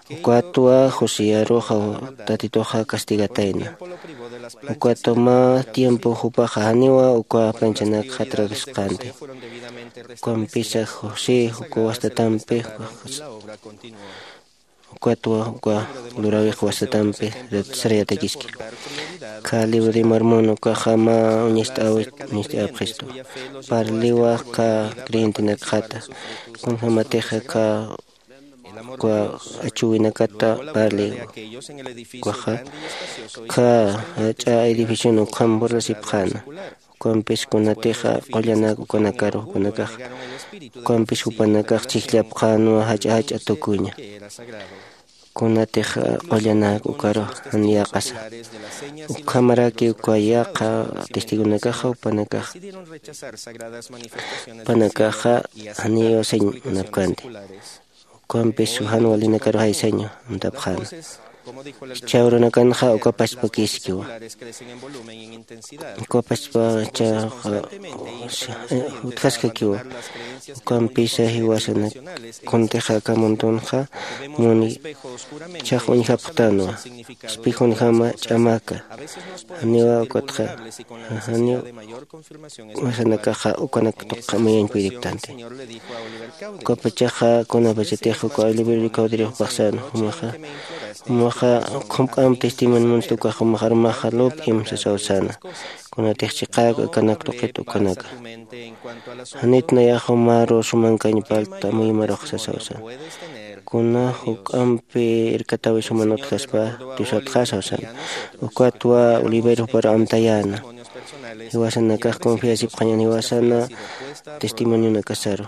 Ukatwa josiaruxa tatituxa castigatayna. Ukatwa mä tiempo jupaxa janiwa uka planchanak jatrakasqänti. Ukampisa josé uka wastatampi ukatwa uka luräwix wastatampi sarayatakiski. Kha libro de marmon ukaxa mä uñist'äwi uñist'äpxistu. Parliwa kha creyentenakxata kunjämatixa kha uka achuwinakata parli ukaxa kha jach'a edificion ukham burlasipxäna. Ukampis kunatixa qullanak ukanakaru jupanakaxa ukampis jupanakax chhijllapxänwa jach'a jach'a tukuña. Kunatixa qullanak ukaru jan yäqasa ukhamaraki uka yäqa testigonakaxa jupanakaxa jupanakaxa janiw sañ munapkänti. Ukampis jan walinakaru jaysaña amtapxäna. Chawrunakanxa ukapachpakiskiwa. Ukapachpachaxa utjaskakiwa. Ukampisa jiwasana kuntixa aka muntunxa muni chax uñjapxtanwa. Espejunjama ch'amaka janiwa ukatxa janiw jiwasanakaxa ukanak tuqqa mayañ puydiptanti. Ukapachaxa kunapachatix uka oliverio caudirijpaxsan jumaxa jumaxa khumk'amp testimonio munsta ukax jumaxarumaxa lup'im sasawsana. Kunatix chiqäk akanak tuqit ukanaka janit nayax jumaru sumankañ palta amuymarux sasawsana. Kuna juk'ampi irkatawi suman utjaspa diosatxa sawsana. Ukatwa oliver juparu amtayäna jiwasanakax confiasipxañan jiwasana testimonionakasaru.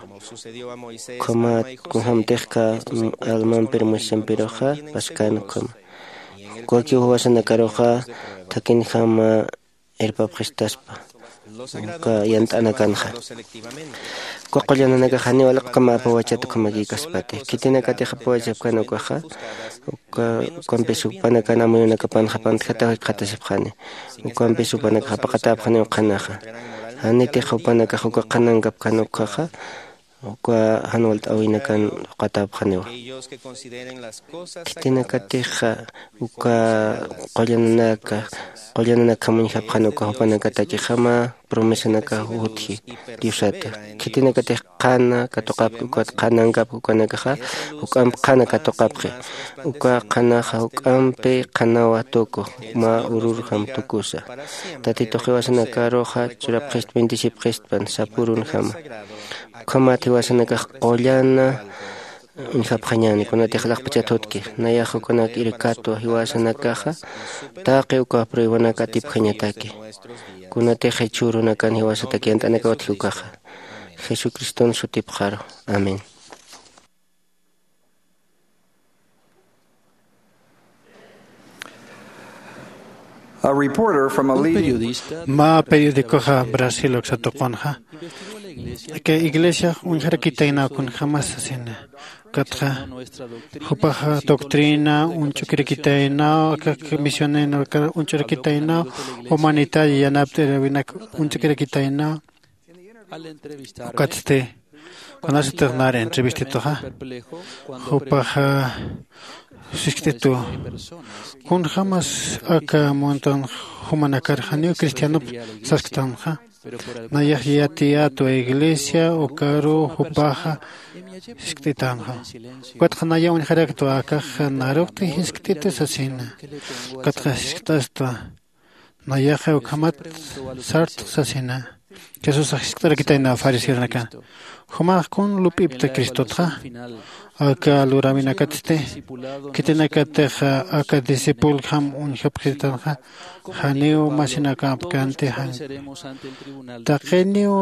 Ukhamat kunjämtixka almampir moisesampiruxa paskän ukhama. Ukakiw jiwasanakaruxa thakhinjama irpapxistaspa uka yant'anakanxa. Uka qullananakax janiw aliqkama apawachat ukhamakïkaspati khitinakatix apawachapkän ukaxa. Uka ukampis jupanakan amuyunakapanxa pantjataw jikxatasipxani. Ukampis jupanakax apaqatäpxaniw qhanaxa. Janitix jupanakax uka qhanankapkän ukhaxa uka jan walt'äwinakan uqatäpxaniwa. Khitinakatixa uka qullananaka qullananakjam uñjapxan uka jupanakatakixama promesanakax utji diosata. Khitinakatix qhana katuqapki ukat qhanankapki ukanakaxa juk'amp qhana katuqapxi. Uka qhanaxa juk'ampi qhanawa tuku mä ururjam tukusa. Tatitux jiwasanakaruxa churapxist bendecipxistpan sapürunjama. Ukhamat jiwasanakax qullana uñjapxañäni kunatix laqpachat jutki. Nayax ukanak irkatwa jiwasanakaxa taqi uka pruebanak atipjañataki. Kunatix jichhürunakan jiwasatak yant'anakaw utji ukaxa jesucriston sutipxaru. Amén. A reporter from a leading mä periodicoxa brasil uksatuqunxa aka iglesiax uñjarakitaynaw kunjämas sasina. Ukatxa jupaxa doctrina uñch'ukirakitaynaw aka misionero uñch'urakitaynaw humanitaria yanapt'iriwinak uñch'ukirakitaynaw. Ukatsti kunasatix nari entrevistituxa jupaxa siskt'itu kunjämas aka muntan jumanakar janiw cristianop sasktanxa. Nayax yatiyätwa iglesia ukaru jupaxa siskt'itanxa. Ukatxa nayaw uñjaraktwa akax narukti jiskt'itu sasina. Ukatxa jiskt'astwa nayaxa ukhamat sartx sasina. Jesusax jiskt'arakitayna fariseonakan jumax kun lup'ipta cristotxa? Aka luräwinakatsti khitinakatix aka discipuljam uñjapxitanxa janiw masinakäpkänti jan taqiniw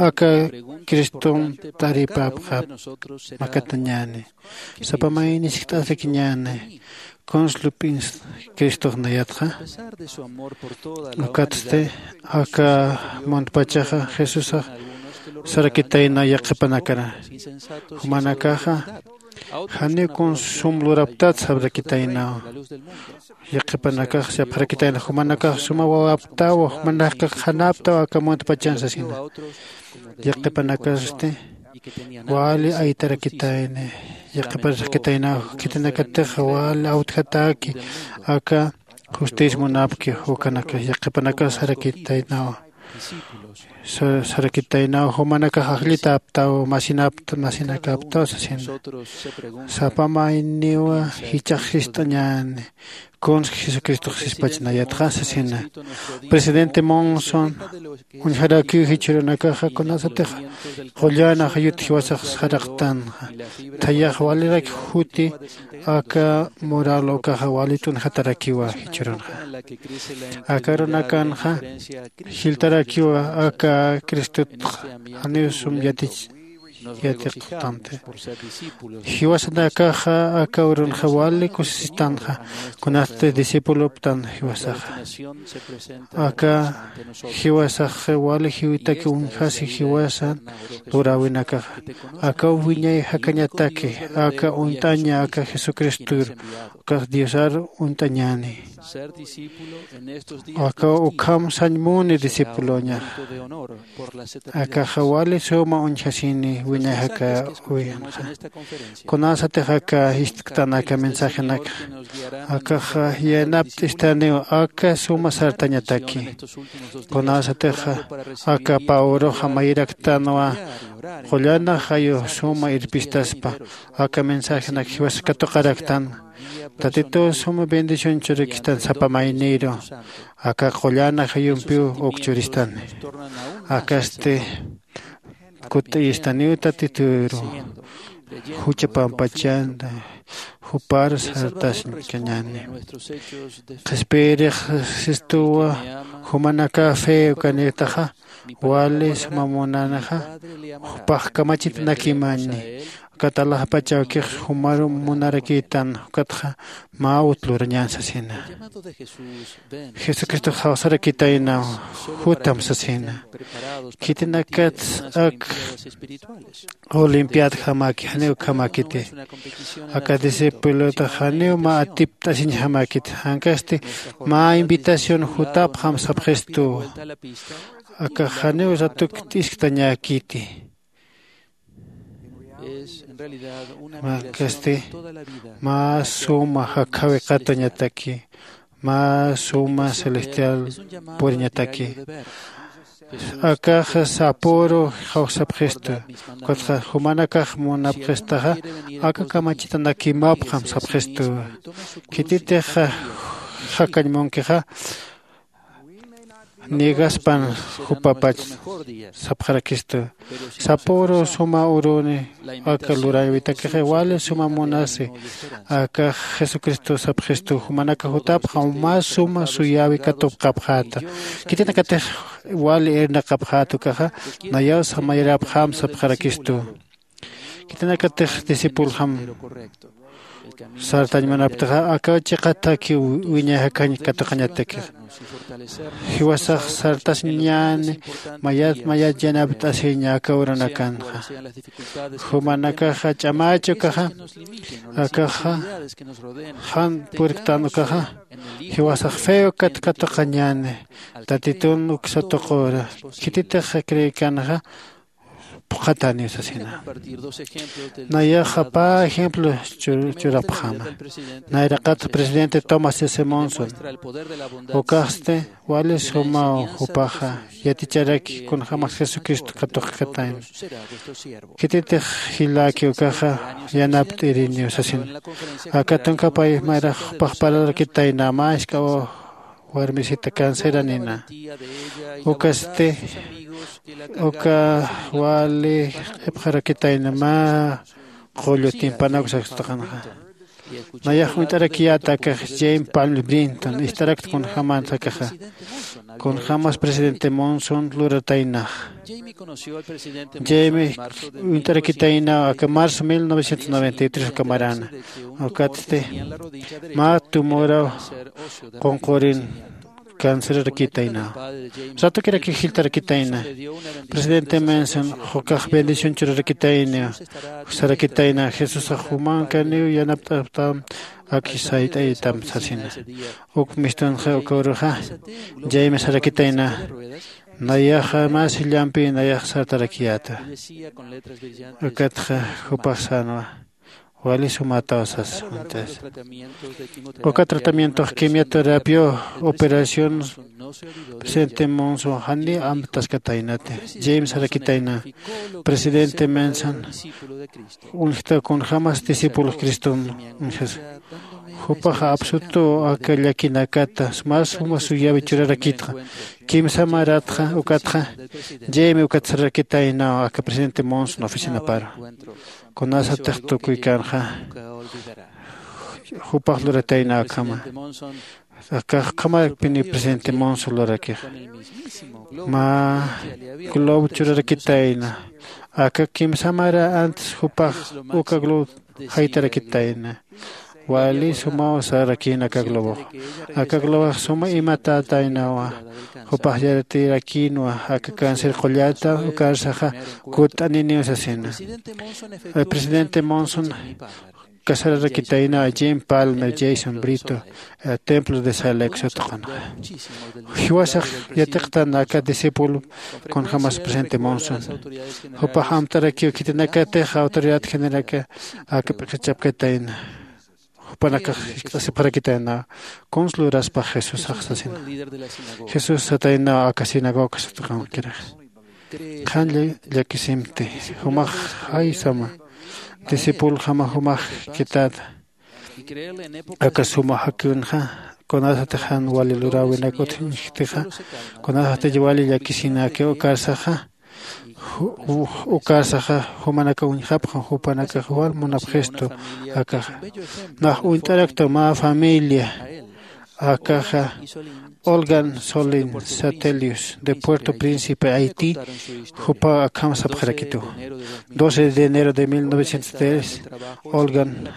aka cristom taripäpxap makatañäni. Sapa mayni jiskt'asakiñäni kuns lup'in cristox nayatxa? Ukatsti aka muntpachaxa jesusax sarakitayna yaqhipanakara jumanakaxa janiw kuns sum luraptat sabrakitaynaw. Yaqhipanakax sapxarakitayna jumanakax suma wawaptaw jumanakax qhanaptaw aka muntpachan sasina. Yaqhipanakasti wali aytarakitayni yaqhiparakitaynaw khitinakatix wali awtjataki aka justicia munapki ukanaka yaqhipanakax sarakitaynaw. Sarakitaynaw jumanakax ajllitäptaw masinapta masinakäptaw sasina. Sapa mayniwa jichhax sist'añäni kunsa jesucristox sispachanayatxa sasina. Presidente monson uñjarakiw jichhürunakaxa kunasatix qullan ajayut jiwasax saraqtanxa thayax walirak juti aka mural ukaxa wali t'unxatarakiwa jichhürunxa. Aka arunakanxa jiltarakiwa aka cristotxa janiw sum yatich yatiqtanti. Jiwasanakaxa aka urunxa wali kusisistanxa kunasti discipuloptan jiwasaxa. Aka jiwasax wali jiwitaki uñjasi jiwasan luräwinakaxa. Aka wiñay jakañataki aka uñt'aña aka jesucristur ukax diosar uñt'añäni. Aka ukham sañmuni discipuloñaxa. Akaxa wali suma uñjasini wiñay jaka uyanxa. Kunasatix aka jistktan aka mensajenakxa akaxa yanapt'istaniw aka suma sartañataki. Kunasatixa aka pawruxa mayiraktanwa qullanax ayu suma irpistaspa aka mensajenak jiwas katuqaraktan. Tatituw suma bendición churakistan sapa mayniru aka qullana jayumpiw uk churistani. Akasti kut'ayistaniw tatituru jucha pampachanta jupar sartasiñkañani. Qhispiyirix sistuwa jumanaka fe ukanitaxa wali suma munanaxa jupax kamachitanakimañni. Ukat alaxpacha awkix jumaru munarakitan ukatxa mä ut lurañän sasina. Jesucristox jawsarakitaynaw jutam sasina. Khitinakats ak olimpiadjamaki janiw ukhamakiti. Aka discipulotax janiw mä atipt'asiñjamakiti jankasti mä invitación jutapxam sapxistuwa. Akax janiw ratuk t'isktañäkiti. Mä kasti mä suma jakjawi qatuñataki mä suma celestial puriñataki. Akaxa sapüru jawsapxistu ukatxa jumanakax munapxistaxa aka kamachitanakimapxam sapxistuwa. Khititix jakañ munkixa niegaspan jupapach sapxarakistu. Sapüru suma uruni aka luräwitakixi wali suma munasi aka jesucristo sapxistu jumanaka jutapxam mä suma suyäwi katupxapxäta. Khitinakatix wali irnaqapxäta ukaxa nayaw samayarapxam sapxarakistu. Khitinakatix discipuljam sartañ munaptixa akaw chiqataki wiñay jakañ katuqañatakix. Jiwasax sartasiñäni mayat mayat yanapt'asiña aka urunakanxa. Jumanakaxa ch'amächi ukaxa akaxa jan purktan ukaxa jiwasax fe ukat katuqañäni. Tatitun uksa tuqura khititix creekanxa phuqhatäniw sasina. Nayaxa pä ejemplo churapxäma. Nayraqat presidente tomás s monson ukaxsti wali sumaw jupaxa yaticharaki kunjämas jesucristo katuqkatayna. Khititix jiläki ukaxa yanapt'iriniw sasina. Aka tunka payix mayrax jupax parlarakitayna mä isk'a warmisita canceranina. Ukasti uka wali q'ipxarakitayna mä qullu timpanaku saksutaqanxa. Nayax uñt'arakiyäta akax james palm brinton ist'arakta kunjämänsa akaxa kunjämas presidente monson lurataynax. Jaime uñt'arakitaynaw aka marzo mil novecientos noventa y tres uka marana ukatsti mä tumuraw qunqurin cancerar kitayna. Ratukirak jiltar kitayna. Presidente menson jukax bendición churar kitayna. Sarakitayna jesusax jumankaniw yanapt'aptam aki sayt'aytam sasina. Uk mistunxa uka uruxa jaime sarakitayna. Nayaxa mä sillampi nayax sartarakiyäta. Ukatxa jupax sänwa wali sumätaw sas. Uka tratamientox quimioterapiaw operación presidente monson janiw amtaskataynati. James arakitayna presidente menson uñjta kunjämas discípulo criston uñjasa. Jupaxa absutuw aka llakinakata mä suma suyäwi churarakitxa. Kimsa maratxa ukatxa jaime ukat sararakitaynaw aka presidente monson oficinaparu. Kunasatix tukuykanxa jupax luratayna akhama. Akax ukhamarpini presidente Monson lurakixa. Mä globo churarakitayna. Aka kimsamara antes jupax uka globo jaytarakitayna. Wali sumaw sarakïna aka globox. Aka globox suma imatätaynawa. Jupax yaratirakïnwa aka cáncer qullata ukarsaxa kutt'aniniw sasina. El presidente Monson casararakitayna Jim Palmer, Jason Brito, eh, templo de Salt Lake sutqanxa. Jiwasax yatiqtan aka discípulo kunjämas presidente Monson. Jupax amtarakiw khitinakatix autoridad generalaka aka p'iqichapkatayna. Jupanakax jisk'asipxarakitayna kuns luraspax Jesusax sasina. Jesús satayna aka sinagoga sutqankirax. Qhan lla-, llakisimti, jumax jaysama, discípulojama jumax khitäta. Aka suma jakiwnxa, kunasatix jan wali luräwinak utjktixa, kunasatix wali llakisinakiw ukarsaxa, ju-, ju-, ukarsaxa jumanakax uñjapxam, jupanakax wal munapxistu akaxa. Nax uñt'arakta mä familia, akaxa Olgan Solin Satelius de Puerto Príncipe, Haití, jupaw akham sapxarakitu. Doce de enero de mil novecientos tres, Olgan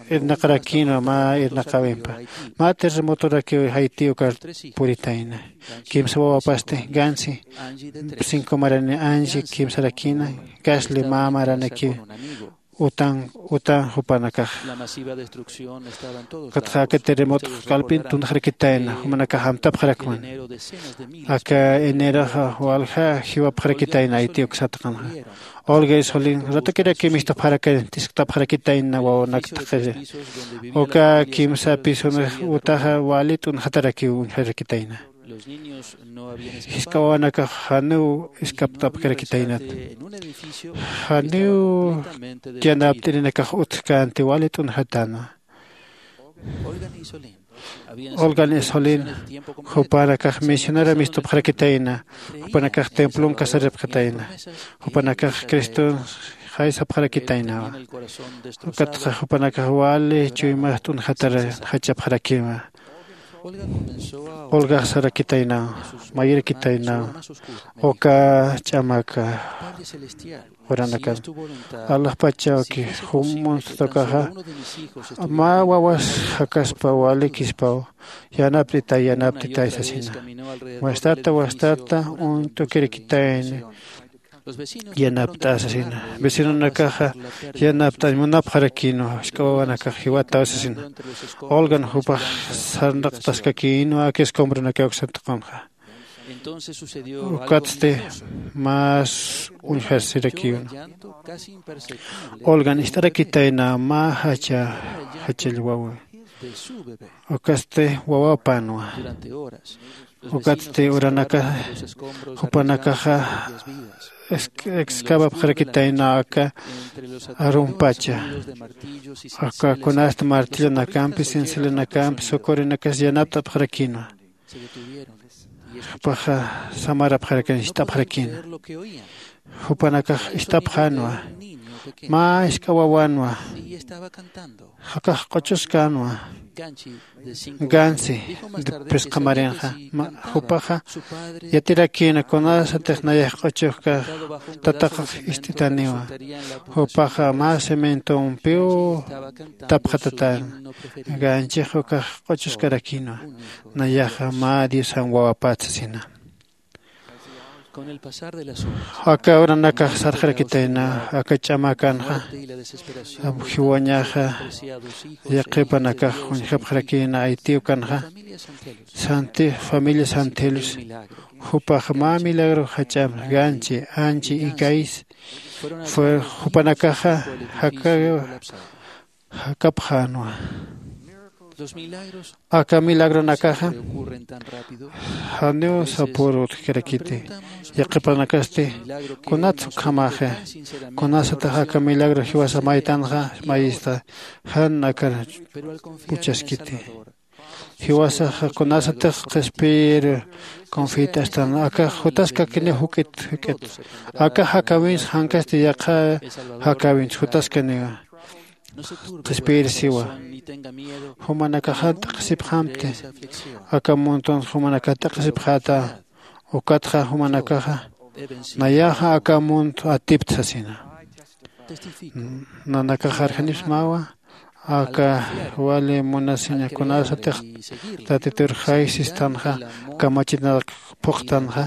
irnaqarakïnwa mä irnaqäwimpa. Mä terremotorakiw Haití ukar puritayna. Kimsa wawapasti, Gansi, cinco marani, Angie, kimsarakïna, Gasly, mä maranikiw. Utan, utan jupanakax. Ukatxa aka terremoto k'alpin tunxarakitayna, jumanakax amtapxarakman. Aka eneroxa walja jiwapxarakitayna Haití uk satqanxa. Olga Isolin, ratukiraki mistupxarakan, tisktapxarakitayna wawanak taqiri. Uka kimsa pisonix utaxa wali t'unxatarakiw uñjarakitayna. Jisk'a wawanakax janiw iskapt'apkarakitaynat. Janiw yanapt'irinakax utjkänti wali t'unxatäna. Olgan Isolin, jupanakax misionera mistupxarakitayna, jupanakax templon casaripxatayna, jupanakax Criston jaysapxarakitaynawa. Ukatxa jupanakax wali chuymax t'unxatar jachapxarakïnwa. Olgax sarakitaynaw, mayirakitaynaw, uka ch'amaka uranakan. Alaxpachawki jum munstatukaxa, mä wawas jakaspa walikispaw, yanapt'itay, yanapt'itay sasina. Wastata, wastata, uñt'ukirakitayna, yanapt'a sasina. Vecinonakaxa yanapt'añ munapxarakïnwa, jisk'a wawanakax jiwataw sasina. Olgan jupax sarnaqtaskakïnwa aka escombronakaw uk satqanxa. Ukatsti más uñjasirakïnwa. Olgan ist'arakitayna mä jacha, jachall wawa. Ukatsti wawapänwa. Ukatsti uranaka, jupanakaxa ex-, excavapxarakitayna aka arumpacha. Aka kunasta martillonakampi, cincelonakampi, socorronakas yanapt'apxarakïnwa. Jupaxa samarapxarakan, ist'apxarakïna. Jupanakax ist'apxänwa. Mä jisk'a wawanwa. Jakax q'uchuskänwa. Gansi, phisqa marinxa, ma-, jupaxa yatirakïna kunasatix nayax q'uchuskax tataxax ist'itaniwa. Jupaxa mä cementompiw tapxatatän. Ganchix ukax q'uchuskarakïnwa. Nayaxa mä Diosan wawapät sasina. Aka uranakax sarxarakitayna, aka ch'amakanxa jiwañaxa yaqhipanakax uñjapxarakïna Haití ukanxa, Santi-, familia Santelus, jupax mä milagro jach'am, Ganchi, Anchi y Gais, fue jupanakaxa jaka-, jakapxänwa. Aka milagronakaxa janiw sapüru utjkarakiti. Yaqhipanakasti, kunats ukhamaxa, kunasatix aka milagro jiwasa maytanxa, mayista, jan akar puchaskiti. Jiwasaxa kunasatix qhispiyir confit'astan, akax jutaskakiniw juk'it, juk'it. Akax jakäwinsa jankasti yaqha jakäwinsa jutaskaniwa. qhispiyir siwa. Jumanakaxa t'aqhisipxamti. Aka muntun jumanakax t'aqhisipxäta. Ukatxa jumanakaxa nayaxa aka munt atipta sasina. Nanakax arjanipsmawa aka wali munasiña kunasatix tatitur jaysistanxa, kamachinarak phuqtanxa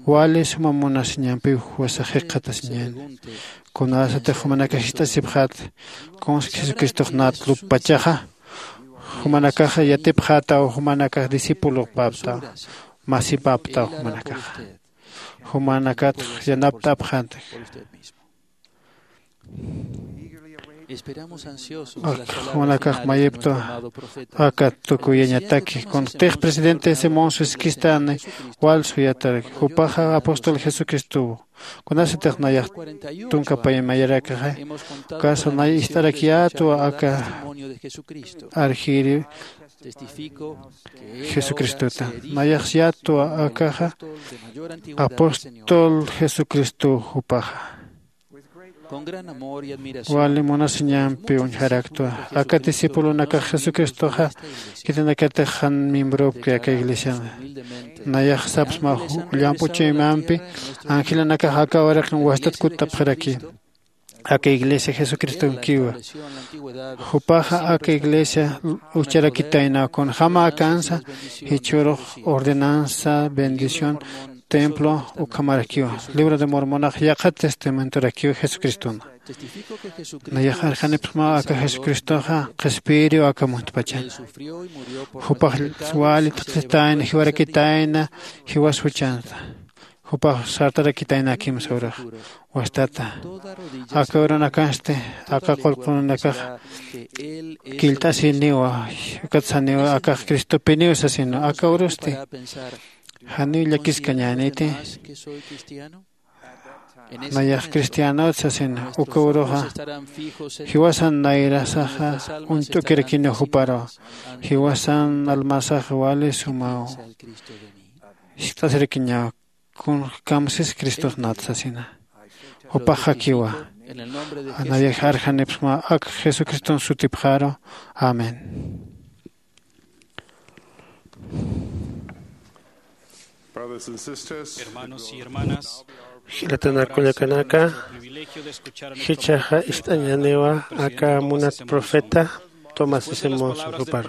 wali suma munasiñampiw juwasa jikxatasiñäni. Kunasatix jumanakax jist'asipxät kunsa jesucristox nat luppachaxa, jumanakax yatipxätaw jumanakax discipulopaptaw, masipaptaw jumanakaxa. Jumanakatx yanapt'apxäntix. Jumanakax mayiptwa aka tukuyañataki kuntix presidente simón suskistani. Wal suyataraki jupaxa apóstol jesucristow. Kunasatix nayax tunka paymayarakxa kasa nay ist'arakyätwa aka arjiri jesucristota. Nayax yätwa akaxa apóstol jesucristow jupaxa. Wali munasiñampi uñjaraktwa aka discipulonakax jesucristoxa khitinakatix jan miembropki aka iglesiana. Nayax sapsma llamp'u chuymampi angelanakax aka uraqin wastat kutt'apxaraki. Aka iglesia jesucristonkiwa. Jupaxa aka iglesia ucharakitaynaw kunjäma akansa jichhürux ordenanza bendición templo ukhamarakiwa. Libro de mormonax yaqha testamentorakiw jesucristona. Nayax arjanipxmaw aka jesucristoxa qhispiyiriw aka muntpachan. Jupax wali t'aqhistayna jiwarakitayna jiwas juchansa. Jupax sartarakitayna kimsa urax wastata. Aka urunakansti aka qullqununakax killt'asiniwa. Ukat saniwa akax cristopiniw sasina aka urusti janiw llakiskañäniti. Nayax cristianot sasina uka uruxa jiwasan nayrasaxa uñt'ukirakiniw juparu. Jiwasan almasaxa wali sumaw jiskt'asirakiñaw. Kun kamsis cristos nat sasina. Jupax jakiwa. Nayax arjanipxma ak jesucriston sutipxaru. Amén. Brothers and sisters, hermanos y hermanas, jilatanakullakanaka, privilegio de escuchar a mi jichaxa ist'añaniwa aka munat profeta tomás simón suqupar.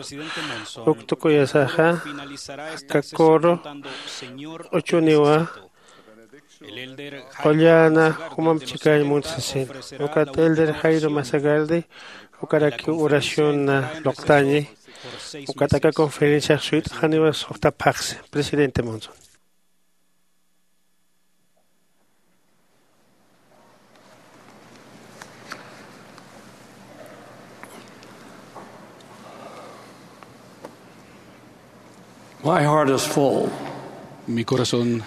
Uk tukuyasaxa aka coro q'uchuniwa. Qullana jumamp chikañ munt sasin. Ukat elder jairo masagardi ukaraki oracionna luqtañi. Ukat aka conferenciax suyt'xaniwa suxta phaxsi presidente monson. My heart is full. Mi corazón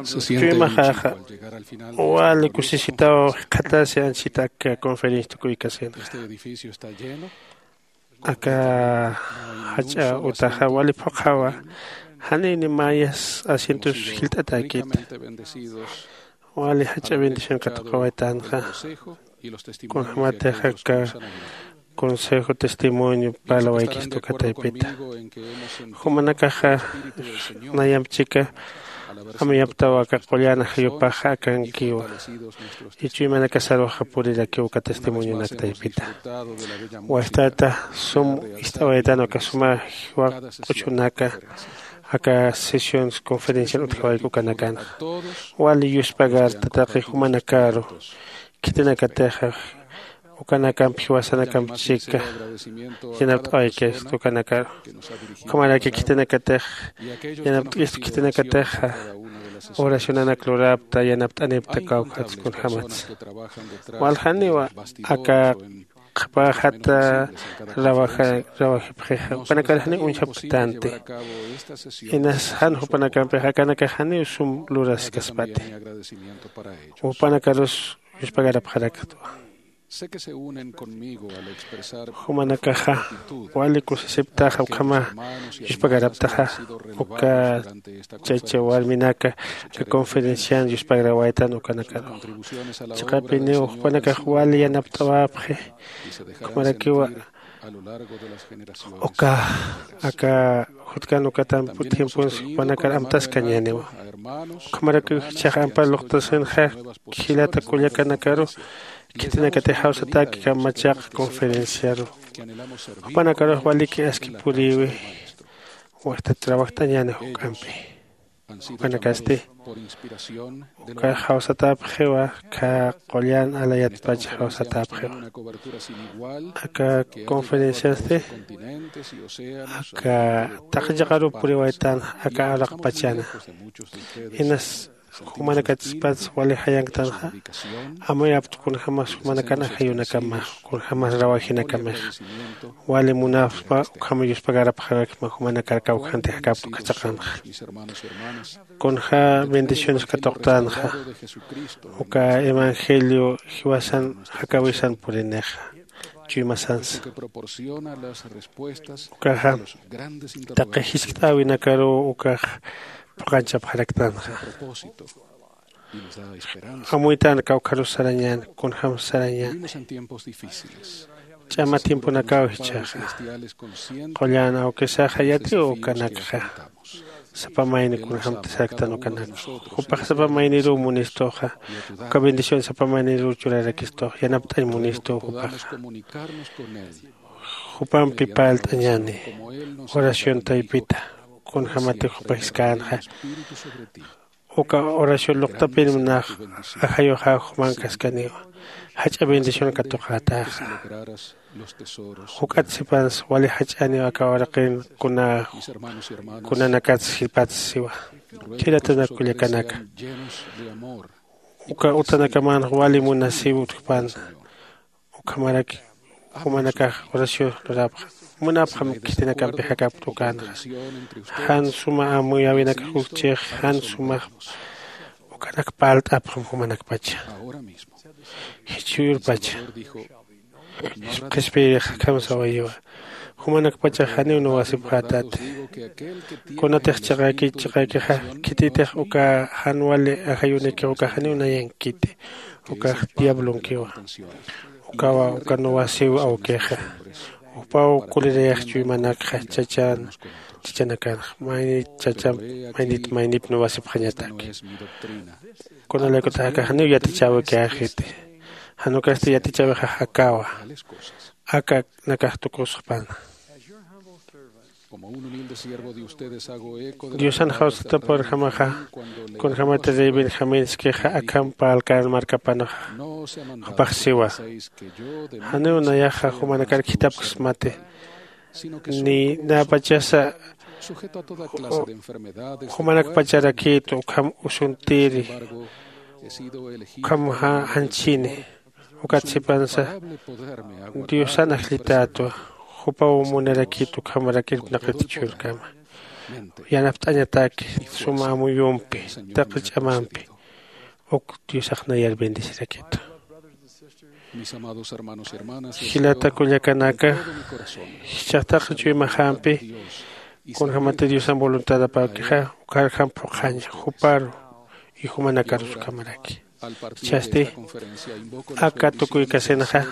se siente chuymaxaxa. Wali kusisitaw jikxatasi anchita aka conferencia tukuykasinxa. Este edificio está lleno. Aka jach'a utaxa wali phuqhawa. Janini mayas asientos jilt'atäkita. Wali jach'a bendición katuqawaytanxa. Kunjämatix aka consejo testimonio parlawaykista uka taypita. Jumanakaxa nayamp chika amuyaptaw aka qullan ajayupaxa akankiwa. Ichuymanakasaruxa purirakiw uka testimonionak taypita. Wastata sum ist'awaytan uka suma jiwa q'uchunaka aka sesiones conferencian utjawayku ukanakanxa. Wali yuspagar tataqi jumanakaru khitinakatixa ukanakamp jiwasanakamp chika yanapt'awaykista ukanakaru. Ukhamaraki khitinakatix yanapt'ista khitinakatixa oracionanak lurapta yanapt'anipta kawkhatsa kunjämatsa. Waljaniwa aka qhapajata rawajipxixa jupanakarjaniw uñjapktanti. Inas jan jupanakampixa akanakaxaniw sum luraskaspati. Jupanakarus yuspagarapxaraktwa. Jumanakaxa wali kusisiptaxa ukhama yuspagaraptaxa uka chacha warminaka aka conferencian yuspagaraptaytan ukanakaru. Chiqapiniw jupanakax wali yanapt'awapxi. Ukhamarakiwa uka aka jutkan ukatampu tiemponsi jupanakar amtaskañäniwa. Ukhamarakiw jichhax ampar luqtasinxa jilata kullakanakaru khitinakatix jawsatäki kamachaq conferenciaru. Jupanakarux waliki aski purïwi. Wajtat trabajt'añäni juk'ampi. Jupanakasti uka jawsatäpxiwa. Aka qullan alayatpacha jawsatäpxiwa. Aka conferenciasti aka taqi chiqaruw puriwaytan aka araqpachana. Inas jumanakatspats wali jayanktanxa amuyapxta kunjämas jumanakan ajayunakamax kunjämas rawajinakamixa. Wali munapxspa ukham yuspagarapxarakisma jumanakar kawkhanti jakapxta ukhachaqanxa. Kunjä bendiciones katuqtänxa uka evangelio jiwasan jakäwisan purinixa chuymasansa. Ukaxa taqi jiskt'äwinakaruw ukax phuqanchapxaraktanxa. Amuytan kawkharus sarañän kunjämsa sarañän. Ch'ama tiemponakaw jichhaxa qullan awkisaxa yatiw ukanakxa. Sapa mayni kunjämti saraktan ukanak jupax sapa mayniruw munistuxa. Uka bendición sapa mayniruw churarakistux yanapt'añ munistuw jupaxa. Jupampi parlt'añäni oración taypita kunjämatix jupa jiskt'änxa. Uka oración luqtapïnmnax ajayuxaw jumankaskaniwa. Jach'a bendición katuqätaxa. Juk'at sipansa wali jach'aniw aka uraqin kuna kunanakats jipats siwa. Jilatanakulla kanaka uka utanakamanx wali munasiw utjpan. Ukhamaraki jumanakax oración lurapxam munapxam khitinakampi jakapta ukänxa. Jan suma amuyäwinakax ukchix jan sumax ukanak parlt'apxam jumanakpacha. Jichhürpacha qhispiyirix akham sawayiwa. Jumanakpachax janiw nuwasipxätati. Kunatix chiqäkich chiqäkixa khititix uka jan wali ajayunikix uka janiw nayankiti. Ukax diablonkiwa. Ukawa uka nuwasiw awkixa. Jupaw kulirayax chuymanakxa chachan chachanakanxa maynit chachamp maynit maynip nuwasipxañataki. Kunalaykutax aka janiw yatichäwikäxiti. Jan ukasti yatichäwixax akawa. Akanakax tukusxpana. Diosan jawsataparjamaxa kunjämati rey benjaminskixa akham parlkän markapanxa jupax siwa. Janiw nayaxa jumanakar khitapksmati. Ni näpachasa jumanakpacharakïtu ukham usuntiri ukham janchini. Ukat sipansa diosan ajllitätwa. Jupaw munarakïtu ukhamarak irpnaqit chhurkama. Yanapt'añataki suma amuyumpi taqi ch'amampi uk diosax nayar bendecirakitu. Jilata kullakanaka jichhax taqi chuymaxampi kunjämati diosan voluntadapäkixa ukharjam phuqhaña juparu y jumanakarus ukhamaraki. Jichhasti aka tukuykasinxa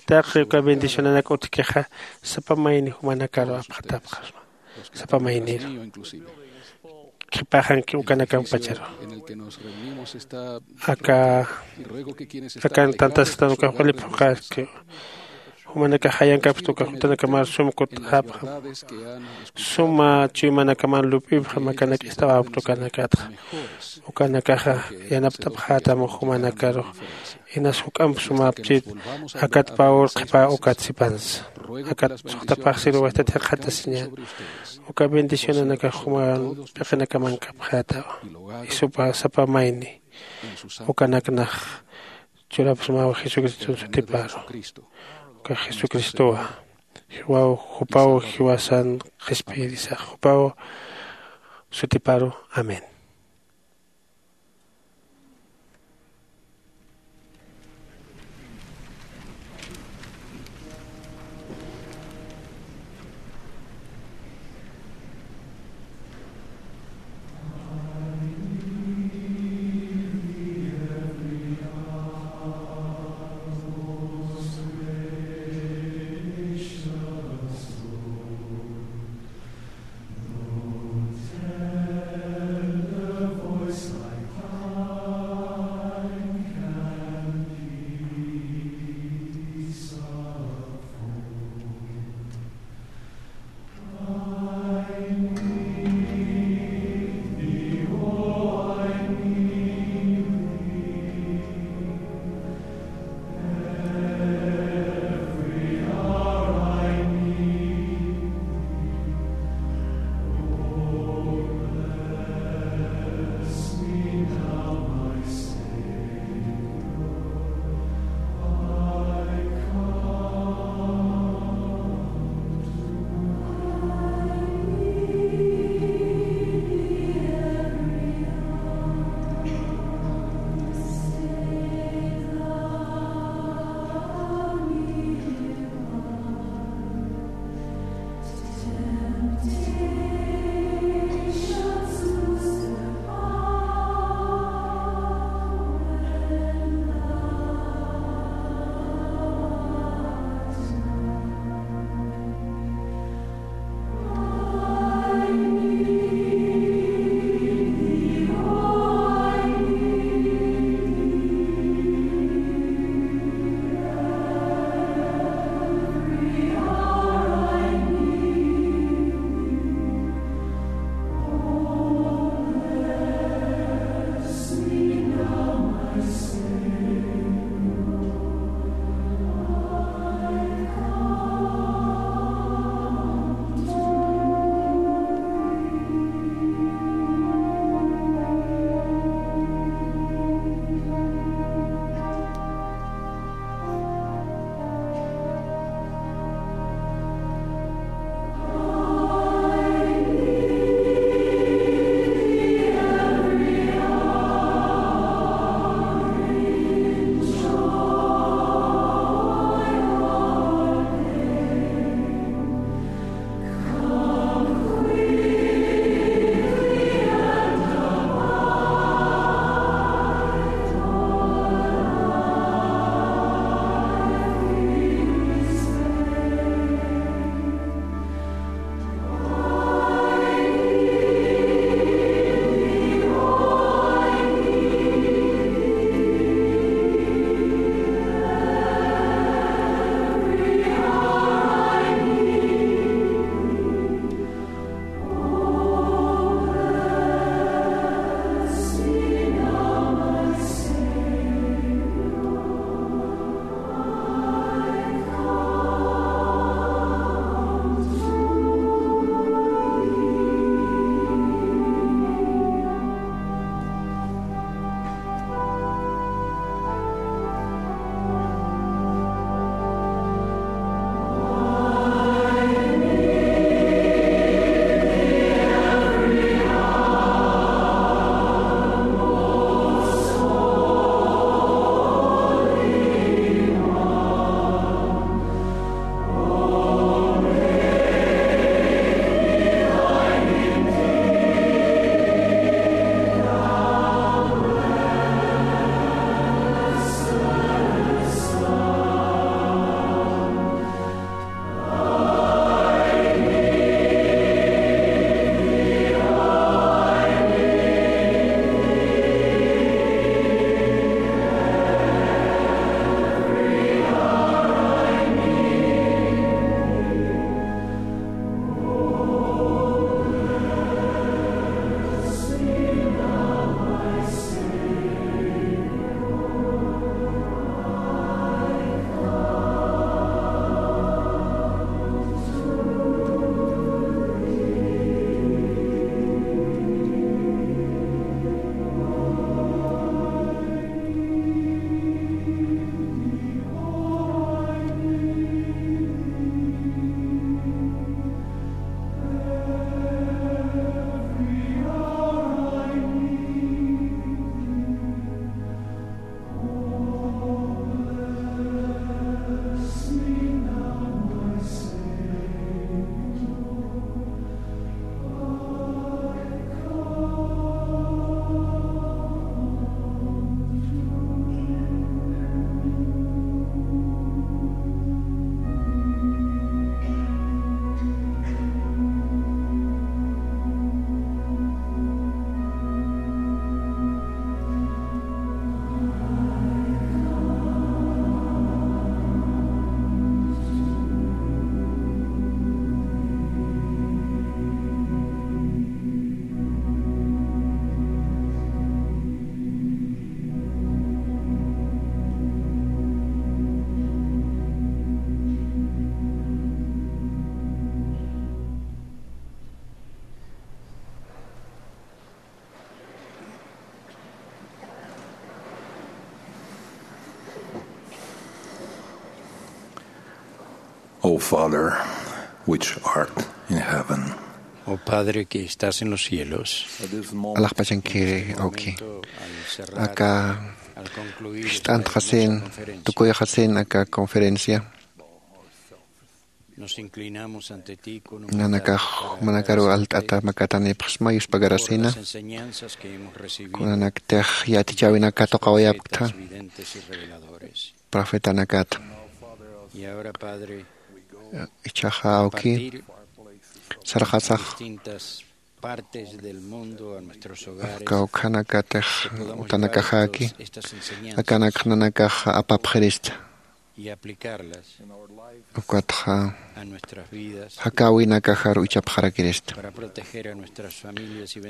taqi uka bendicionanak utjkixa sapa mayni jumanakaru apxatapxasma. Sapa mayniru qhipaxanki ukanakampacharu aka akan tantasktan ukax wali phuqhaski. Jumanakax jayankapxta ukax jutanakamar sum kutt'apxam suma chuymanakaman lup'ipxam akanak ist'awapxta ukanakatxa. Ukanakaxa yanapt'apxätam jumanakaru inas juk'amp sumapchit akat pawur qhipa ukat sipansa akat suxtapaxsiru wajtat jikxatasiñän. Uka bendicionanakax juman p'iqinakamankapxätawa. Isupa sapa mayni ukanaknax churapsmaw jesucriston sutiparu. Uka jesucristowa jiwaw jupaw jiwasan qhispiyirisax jupaw sutiparu. Amén. Father, which art in heaven. Oh Padre que estás en los cielos. Alaxpachankiri awki. Aka ist'antxasin, tukuyxasin aka conferencia. Nanakax manakaru alt'ata makatanipxsma yuspagarasina. Kunanaktix yatichäwinaka tuqawayapkta profetanakata. Ichaxa awki sarqasax kawkhanakatix utanakaxäki akanakxnanakax apapxirista. Ukatxa jakäwinakaxaru ichapxarakirista.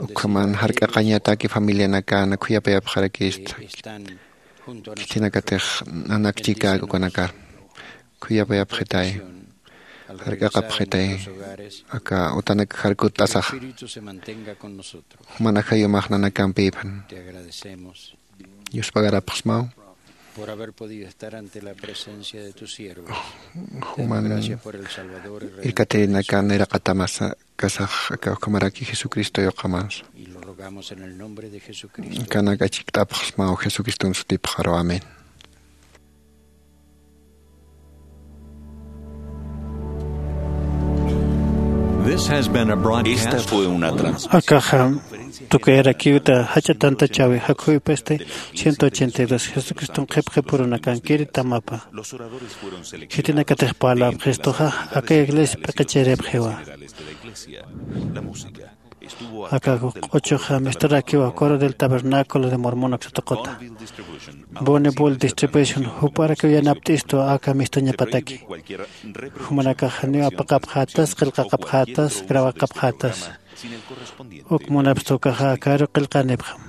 Ukhaman jark'aqañataki familianakana khuyapayapxarakirista. Khitinakatix nanakchikäk ukanakar khuyapayapxitay, jark'aqapxitay aka utanakaxar kutt'asaxa. Juman ajayumax nanakampïphan. Yuspagarapxsmaw. Por haber podido estar ante la presencia de tu siervo. Juman irkatirinakana iraqatamas kasax aka ukhamaraki Jesucristo yuqamansa. Kanak achikt'apxsmaw Jesucriston sutipxaru. Amén. Esta fue una trans- Akaxa tukuyarakiwta jach'a tantachäwi jakhuwipisti ciento ochenta y dos Jesucriston qhipqipurunakankiri tamapa. Khitinakatix parlapxistuxa aka iglesia p'iqichiripxiwa. Aka q'uchuxa misturakiwa Coro del Tabernáculo de Mormon aksatuquta. Boni bul distribution jup'arakiw yanapt'istu aka mistuñapataki. Jumanakax janiw apaqapxätas, qillqaqapxätas, grabaqapxätas. Uk munapstukaxa akaru qillqanipxam.